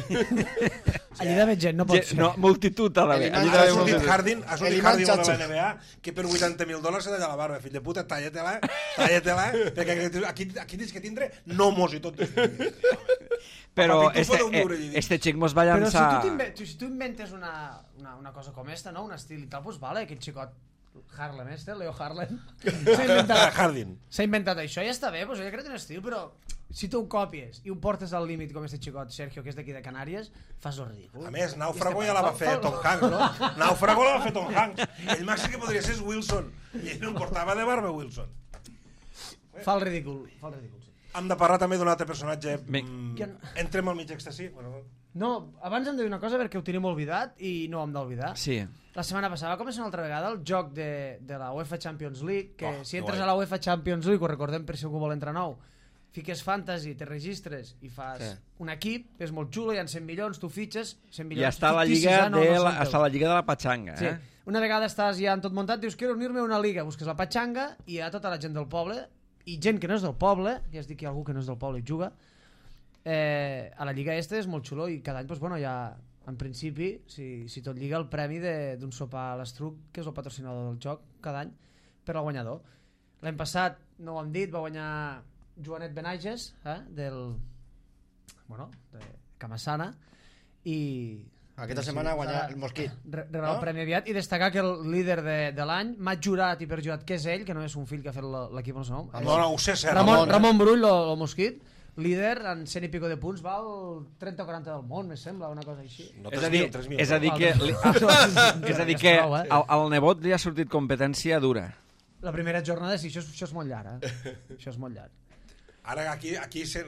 Allí d'haver gent, no pot ser. No, multitud ha d'haver. Allí Ha d'haver sortit multitud. Harding, ha sortit El imam Harding de Chacho. la NBA, que per $80.000 s'ha de tallar la barba, fill de puta, talla-te-la, perquè aquí tens que tindre nomos i tot. Però Papi, tu podeu viure allí dins. este xic mos va Però llançar... si tu inventes una cosa com esta, no? Un estil i tal, doncs vale, aquest xicot Harlem, Leo Harlem, Harding. s'ha inventat això, ja està bé, doncs ell ha creat un estil, però si tu ho copies i ho portes al límit com este xicot Sergio, que és d'aquí de Canàries, fas lo ridícul. A més, Nàufrago ja la va fer Tom Hanks, no? Nàufrago la va fer Tom Hanks. El màxim que podria ser és Wilson. I ell no em portava de barba, Wilson. Fa el ridícul, sí. Hem de parlar també d'un altre personatge. Qui- Entrem al mig extasi. Bueno, No, abans hem de dir una cosa perquè ho tenim oblidat i no ho hem d'oblidar. Sí. La setmana passada va començar una altra vegada el joc de la UEFA Champions League, que si entres guai. a la UEFA Champions League, ho recordem per si algú vol entrar nou, fiques fantasy, te registres i fas un equip, és molt xulo, hi ha 100 milions, tu fitxes 100 milions. I està la ficticis, lliga no, de no la, són està teus. la lliga de la patxanga, Sí. eh? Una vegada estàs ja en tot muntat, dius, quiero unir-me a una liga, busques la patxanga i hi ha tota la gent del poble i gent que no és del poble, ja es dic que hi ha algú que no és del poble i juga, a la lliga este és molt xulo i cada any, doncs, bueno, ja en principi, si tot lliga el premi d'un sopar a l'Estruc, que és el patrocinador del joc cada any, per al guanyador. L'any passat, no ho hem dit, va guanyar Joanet Benages, de Camassana, i Aquesta setmana guanyar el Mosquit. Regalar el premi aviat i destacar que el líder de l'any m'ha jurat i perjurat que és ell, que no és un fill que ha fet l'equip, no sé nom. No, ho sé cert. Ramon Brull, el Mosquit, líder en 100 i pico de punts, va al 30 o 40 del món, me sembla, una cosa així. No, És a dir 3.000. que al nebot li ha sortit competència dura. La primera jornada, sí, això és molt llarg, Això és molt llarg. Ara aquí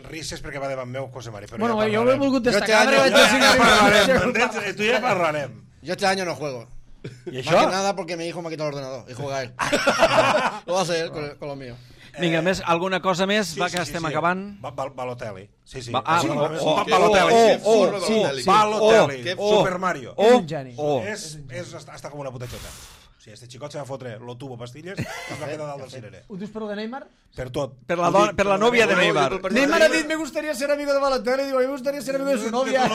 risses perquè va davant meu, José Mari. Bueno, jo ho he volgut destacar. Tu ja parlarem. Yo este año no juego. ¿Y Más eso? que nada porque mi hijo me ha quitado el ordenador y juega él. Lo va a hacer con lo mío. Vinga, alguna cosa més? Va, que estem acabant. Balotelli. Sí. Balotelli. Super Mario. És un geni. És hasta com una puta xota. Si este xicot se va fotre lo tubo pastilles, es va quedar dalt del cirerer. Ho dius per lo de Neymar? Per tot. Per la nòvia de Neymar. Neymar ha dit, me gustaría ser amigo de Balotelli, digo, me gustaría ser amigo de su novia.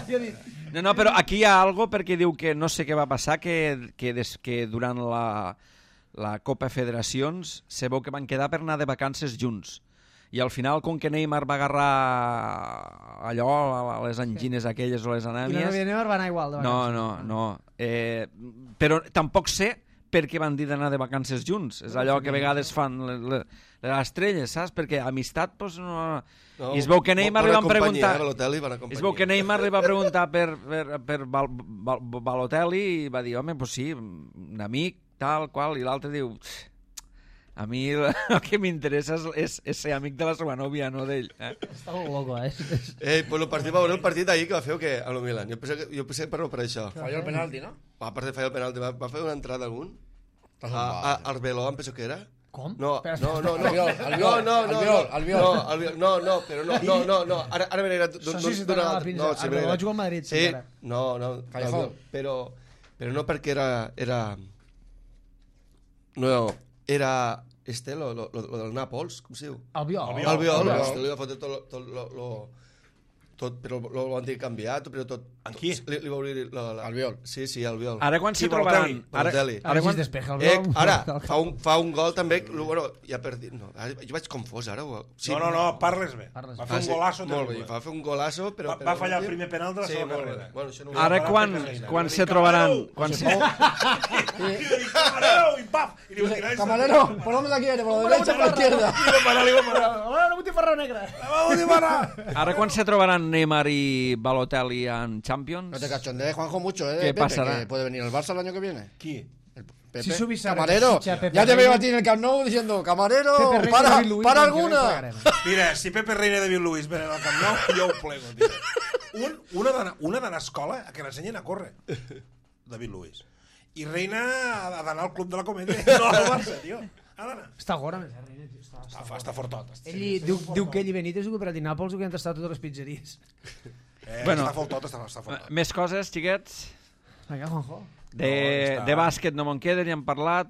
Jo he dit... No, però aquí hi ha algo perquè diu que no sé què va passar, que durant la Copa Federacions se veu que van quedar per anar de vacances junts. I al final, com que Neymar va agarrar allò, les angines aquelles o les anèmies... I la novia de Neymar va anar igual de vacances. No. Però tampoc sé per què van dir d'anar de vacances junts. És allò que a vegades fan les estrelles, saps? Perquè amistat, doncs, no... I es veu que Neymar li van preguntar... Es veu que Neymar li va preguntar per Balotelli i va dir, home, doncs sí, un amic, tal, qual, i l'altre diu... A mi el que m'interessa és ser amic de la seva nòvia, no d'ell. Està molt loco, Pues el partit d'ahir que va fer o què? A lo Milan. Jo pensé per això. Falló el penalti, ¿no? A part de fallar el penalti, va fer una entrada algun? A Arbeloa, em penso que era? Com? No. Albiol. No. Ara venirà Això sí se t'anava la pinça. Arbeloa va jugar al Madrid. Sí, no. Però no perquè era... No, era... lo del Nàpols, com se diu? Albiol. Li va fotre tot, però lo van dir canviat, però tot... En qui? Li va obrir Albiol. Sí, Albiol. Ara quan s'hi trobaran... Ara quan despeja el Ara, fa un gol també... Bueno, ja per dir... No, jo vaig confós ara. Sí, no, parles bé. Va fer un golasso. Molt bé, va fer un golasso, però... Va fallar el primer penal de la seva carrera. Ara quan se trobaran... Camarero, y paf! Camarero, ¿por dónde la quiere? ¿Por la derecha o por la izquierda? Li va parar. La butifarra negra. Ara quan se trobaran Neymar y Balotelli en Champions... No te cachondees, Juanjo, mucho, ¿eh? ¿Qué Pepe, pasará? que puede venir el Barça el año que viene. Qui? Pepe. Si subís a Camarero, Pepe ya te Reina. veo a ti en el Camp Nou diciendo, Camarero, Pepe Reina, David Luiz, para l'any que ve alguna. pagarem. Mira, si Pepe Reina i David Luiz venen al Camp Nou, jo ho plego, tio. Una d'anar a escola a que l'ensenyen a córrer. David Luiz. I Reina ha d'anar al Club de la Comèdia. No al Barça, tio. Ha d'anar. Està gora, més Reina. Està fortot. Ell diu que ell i Benítez diu que per a Nàpols diu que han tastat totes les pizzeries. Està fortot, està fortot. Més coses, xiquets? Vinga, Juanjo. De bàsquet no me'n queden, ja han parlat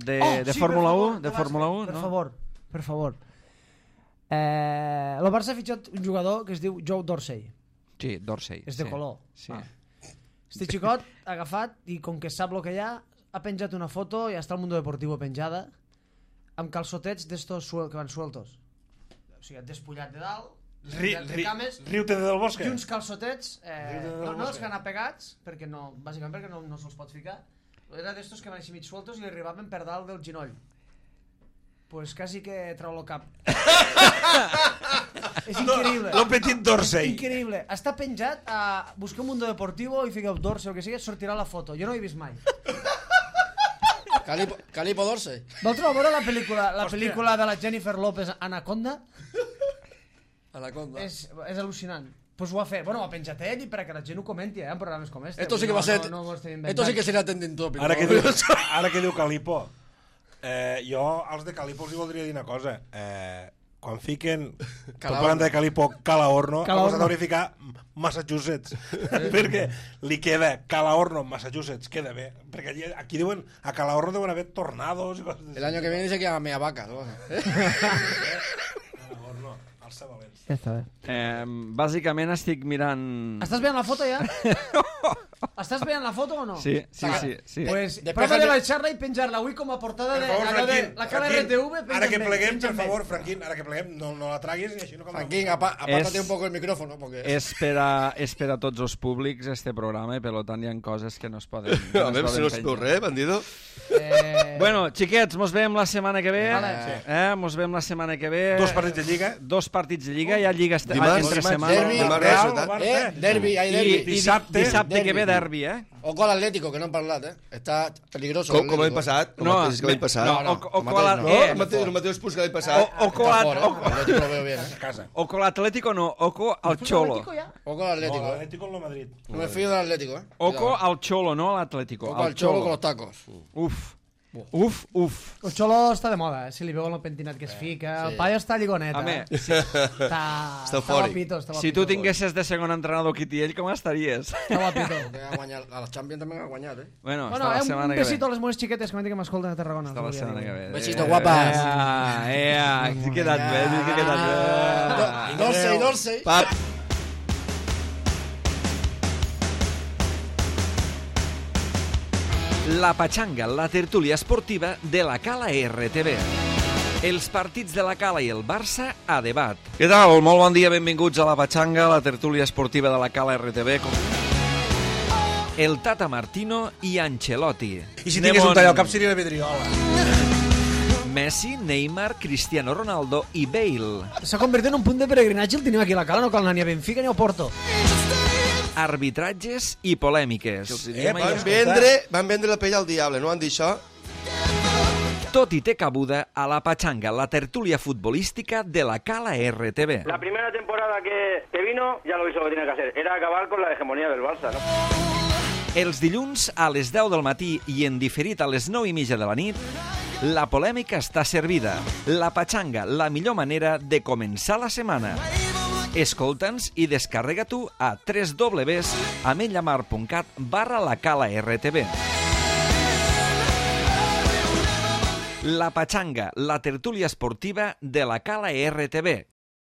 de Fórmula 1. De Fórmula 1, no? Per favor. El Barça ha fitxat un jugador que es diu Joe Dorsey. Sí, Dorsey. És de color. Sí. Este xicot ha agafat i com que sap el que hi ha penjat una foto i està al Mundo Deportivo penjada amb calçotets d'estos que van sueltos. O sigui, despullat de dalt, Riu-te del Bosque. i uns calçotets no els que han apegats bàsicament perquè no se'ls pot ficar. Era d'estos que van així mig sueltos i li arribaven per dalt del ginoll. Pues quasi que trau el cap. És increïble. Lo petit Dorsey. Increïble. Està penjat a buscar un Mundo Deportivo i fiqueu Dorsey o el que sigui, sortirà la foto. Jo no ho he vist mai. Calipo Dorsey. Vau trobar veure la pel·lícula de la Jennifer López, Anaconda? Anaconda. És al·lucinant. Pues ho ha fet. Bueno, ho ha penjat ell i perquè la gent ho comenti en programes com este. Esto sí que va a ser... Esto sí que serà trending topic. Ara que diu Calipo, jo als de Calipo els voldria dir una cosa. Quan fiquen tot parlant de Calipo Calahorno, hem de verificar Massachusetts, perquè li queda Calahorno, Massachusetts, queda bé, perquè aquí diuen a Calahorno deuen haver tornados i coses. El año que viene dice que a mea vaca. Calahorno, alça València. Ja està bé. Bàsicament estic mirant... Estàs veient la foto ja? Estàs veient la foto o no? Sí. Pues Després prova de de- baixar-la i penjar-la avui com a portada Per de favor, allò de Franquín, la cara Franquín, RTV. ara que pleguem, per favor, Franquín, ara que pleguem, no la traguis i així no... Franquín, apártate un poco el micrófono. Porque... És per a tots els públics este programa i per tant hi ha coses que no es poden A veure si no es veu res, bandido. Bueno, xiquets, mos veiem la setmana que ve. Vale. Mos veiem la setmana que ve. 2 partits de Lliga. 2 partits de Lliga, hi ha Lliga Dimarts, entre dimarts, setmana. derbi, Dimarts, Real, resultat. Barça. derbi, hay I derbi. dissabte que ve derbi, Ojo al Atlético, que no han parlat, Està peligroso. Com l'any passat? El mateix que l'any passat. No, el mateix punts que l'any passat. Oco Atlético lo veo bien. Casa. Oco l'Atlético no, oco al Cholo. Ojo al No, Atlético. l'Atlético en el Madrid. No me fío del Atlético, Oco al Cholo, no a l'Atlético. Ojo al Cholo con los tacos. Uf. El Xolo està de moda, si li veu el pentinat que es fica. El paio està lligonet, Home, Està eufòric. guapito, si tu tinguessis de segon entrenador Quitiell, com estaries? Està guapito. A los Champions también ha guanyat, Bueno, Bueno, hasta la un setmana que ve. besito a les meves xiquetes que m'escolten a Tarragona. Hasta la setmana que ve. Besito, guapas. Sí que quedat bé, sí que quedat bé. Dolce y Dolce. Pap. La Pachanga, la tertúlia esportiva de la Cala RTV. Els partits de la Cala i el Barça a debat. Què tal? Molt bon dia, benvinguts a la Pachanga, la tertúlia esportiva de la Cala RTV. El Tata Martino i Ancelotti. I si tingués un tall al cap seria la vidriola. Messi, Neymar, Cristiano Ronaldo i Bale. S'ha convertit en un punt de peregrinatge el tenim aquí a la Cala, no cal anar ni a Benfica ni a Porto. Arbitratges i polèmiques. Van vendre la pell al diable, no van dir això? Tot i té cabuda a la Pachanga, la tertúlia futbolística de la Cala RTV. La primera temporada que vino, ya lo hizo lo que tenía que hacer. Era acabar con la hegemonía del Barça, ¿no? Els dilluns a les 10 del matí i en diferit a les 9:30 de la nit, la polèmica està servida. La Pachanga, la millor manera de començar la setmana. Escolta'ns i descarrega-t'ho a www.ametlllamar.cat/lacala-rtv. La Pachanga, la tertúlia esportiva de la Cala RTV.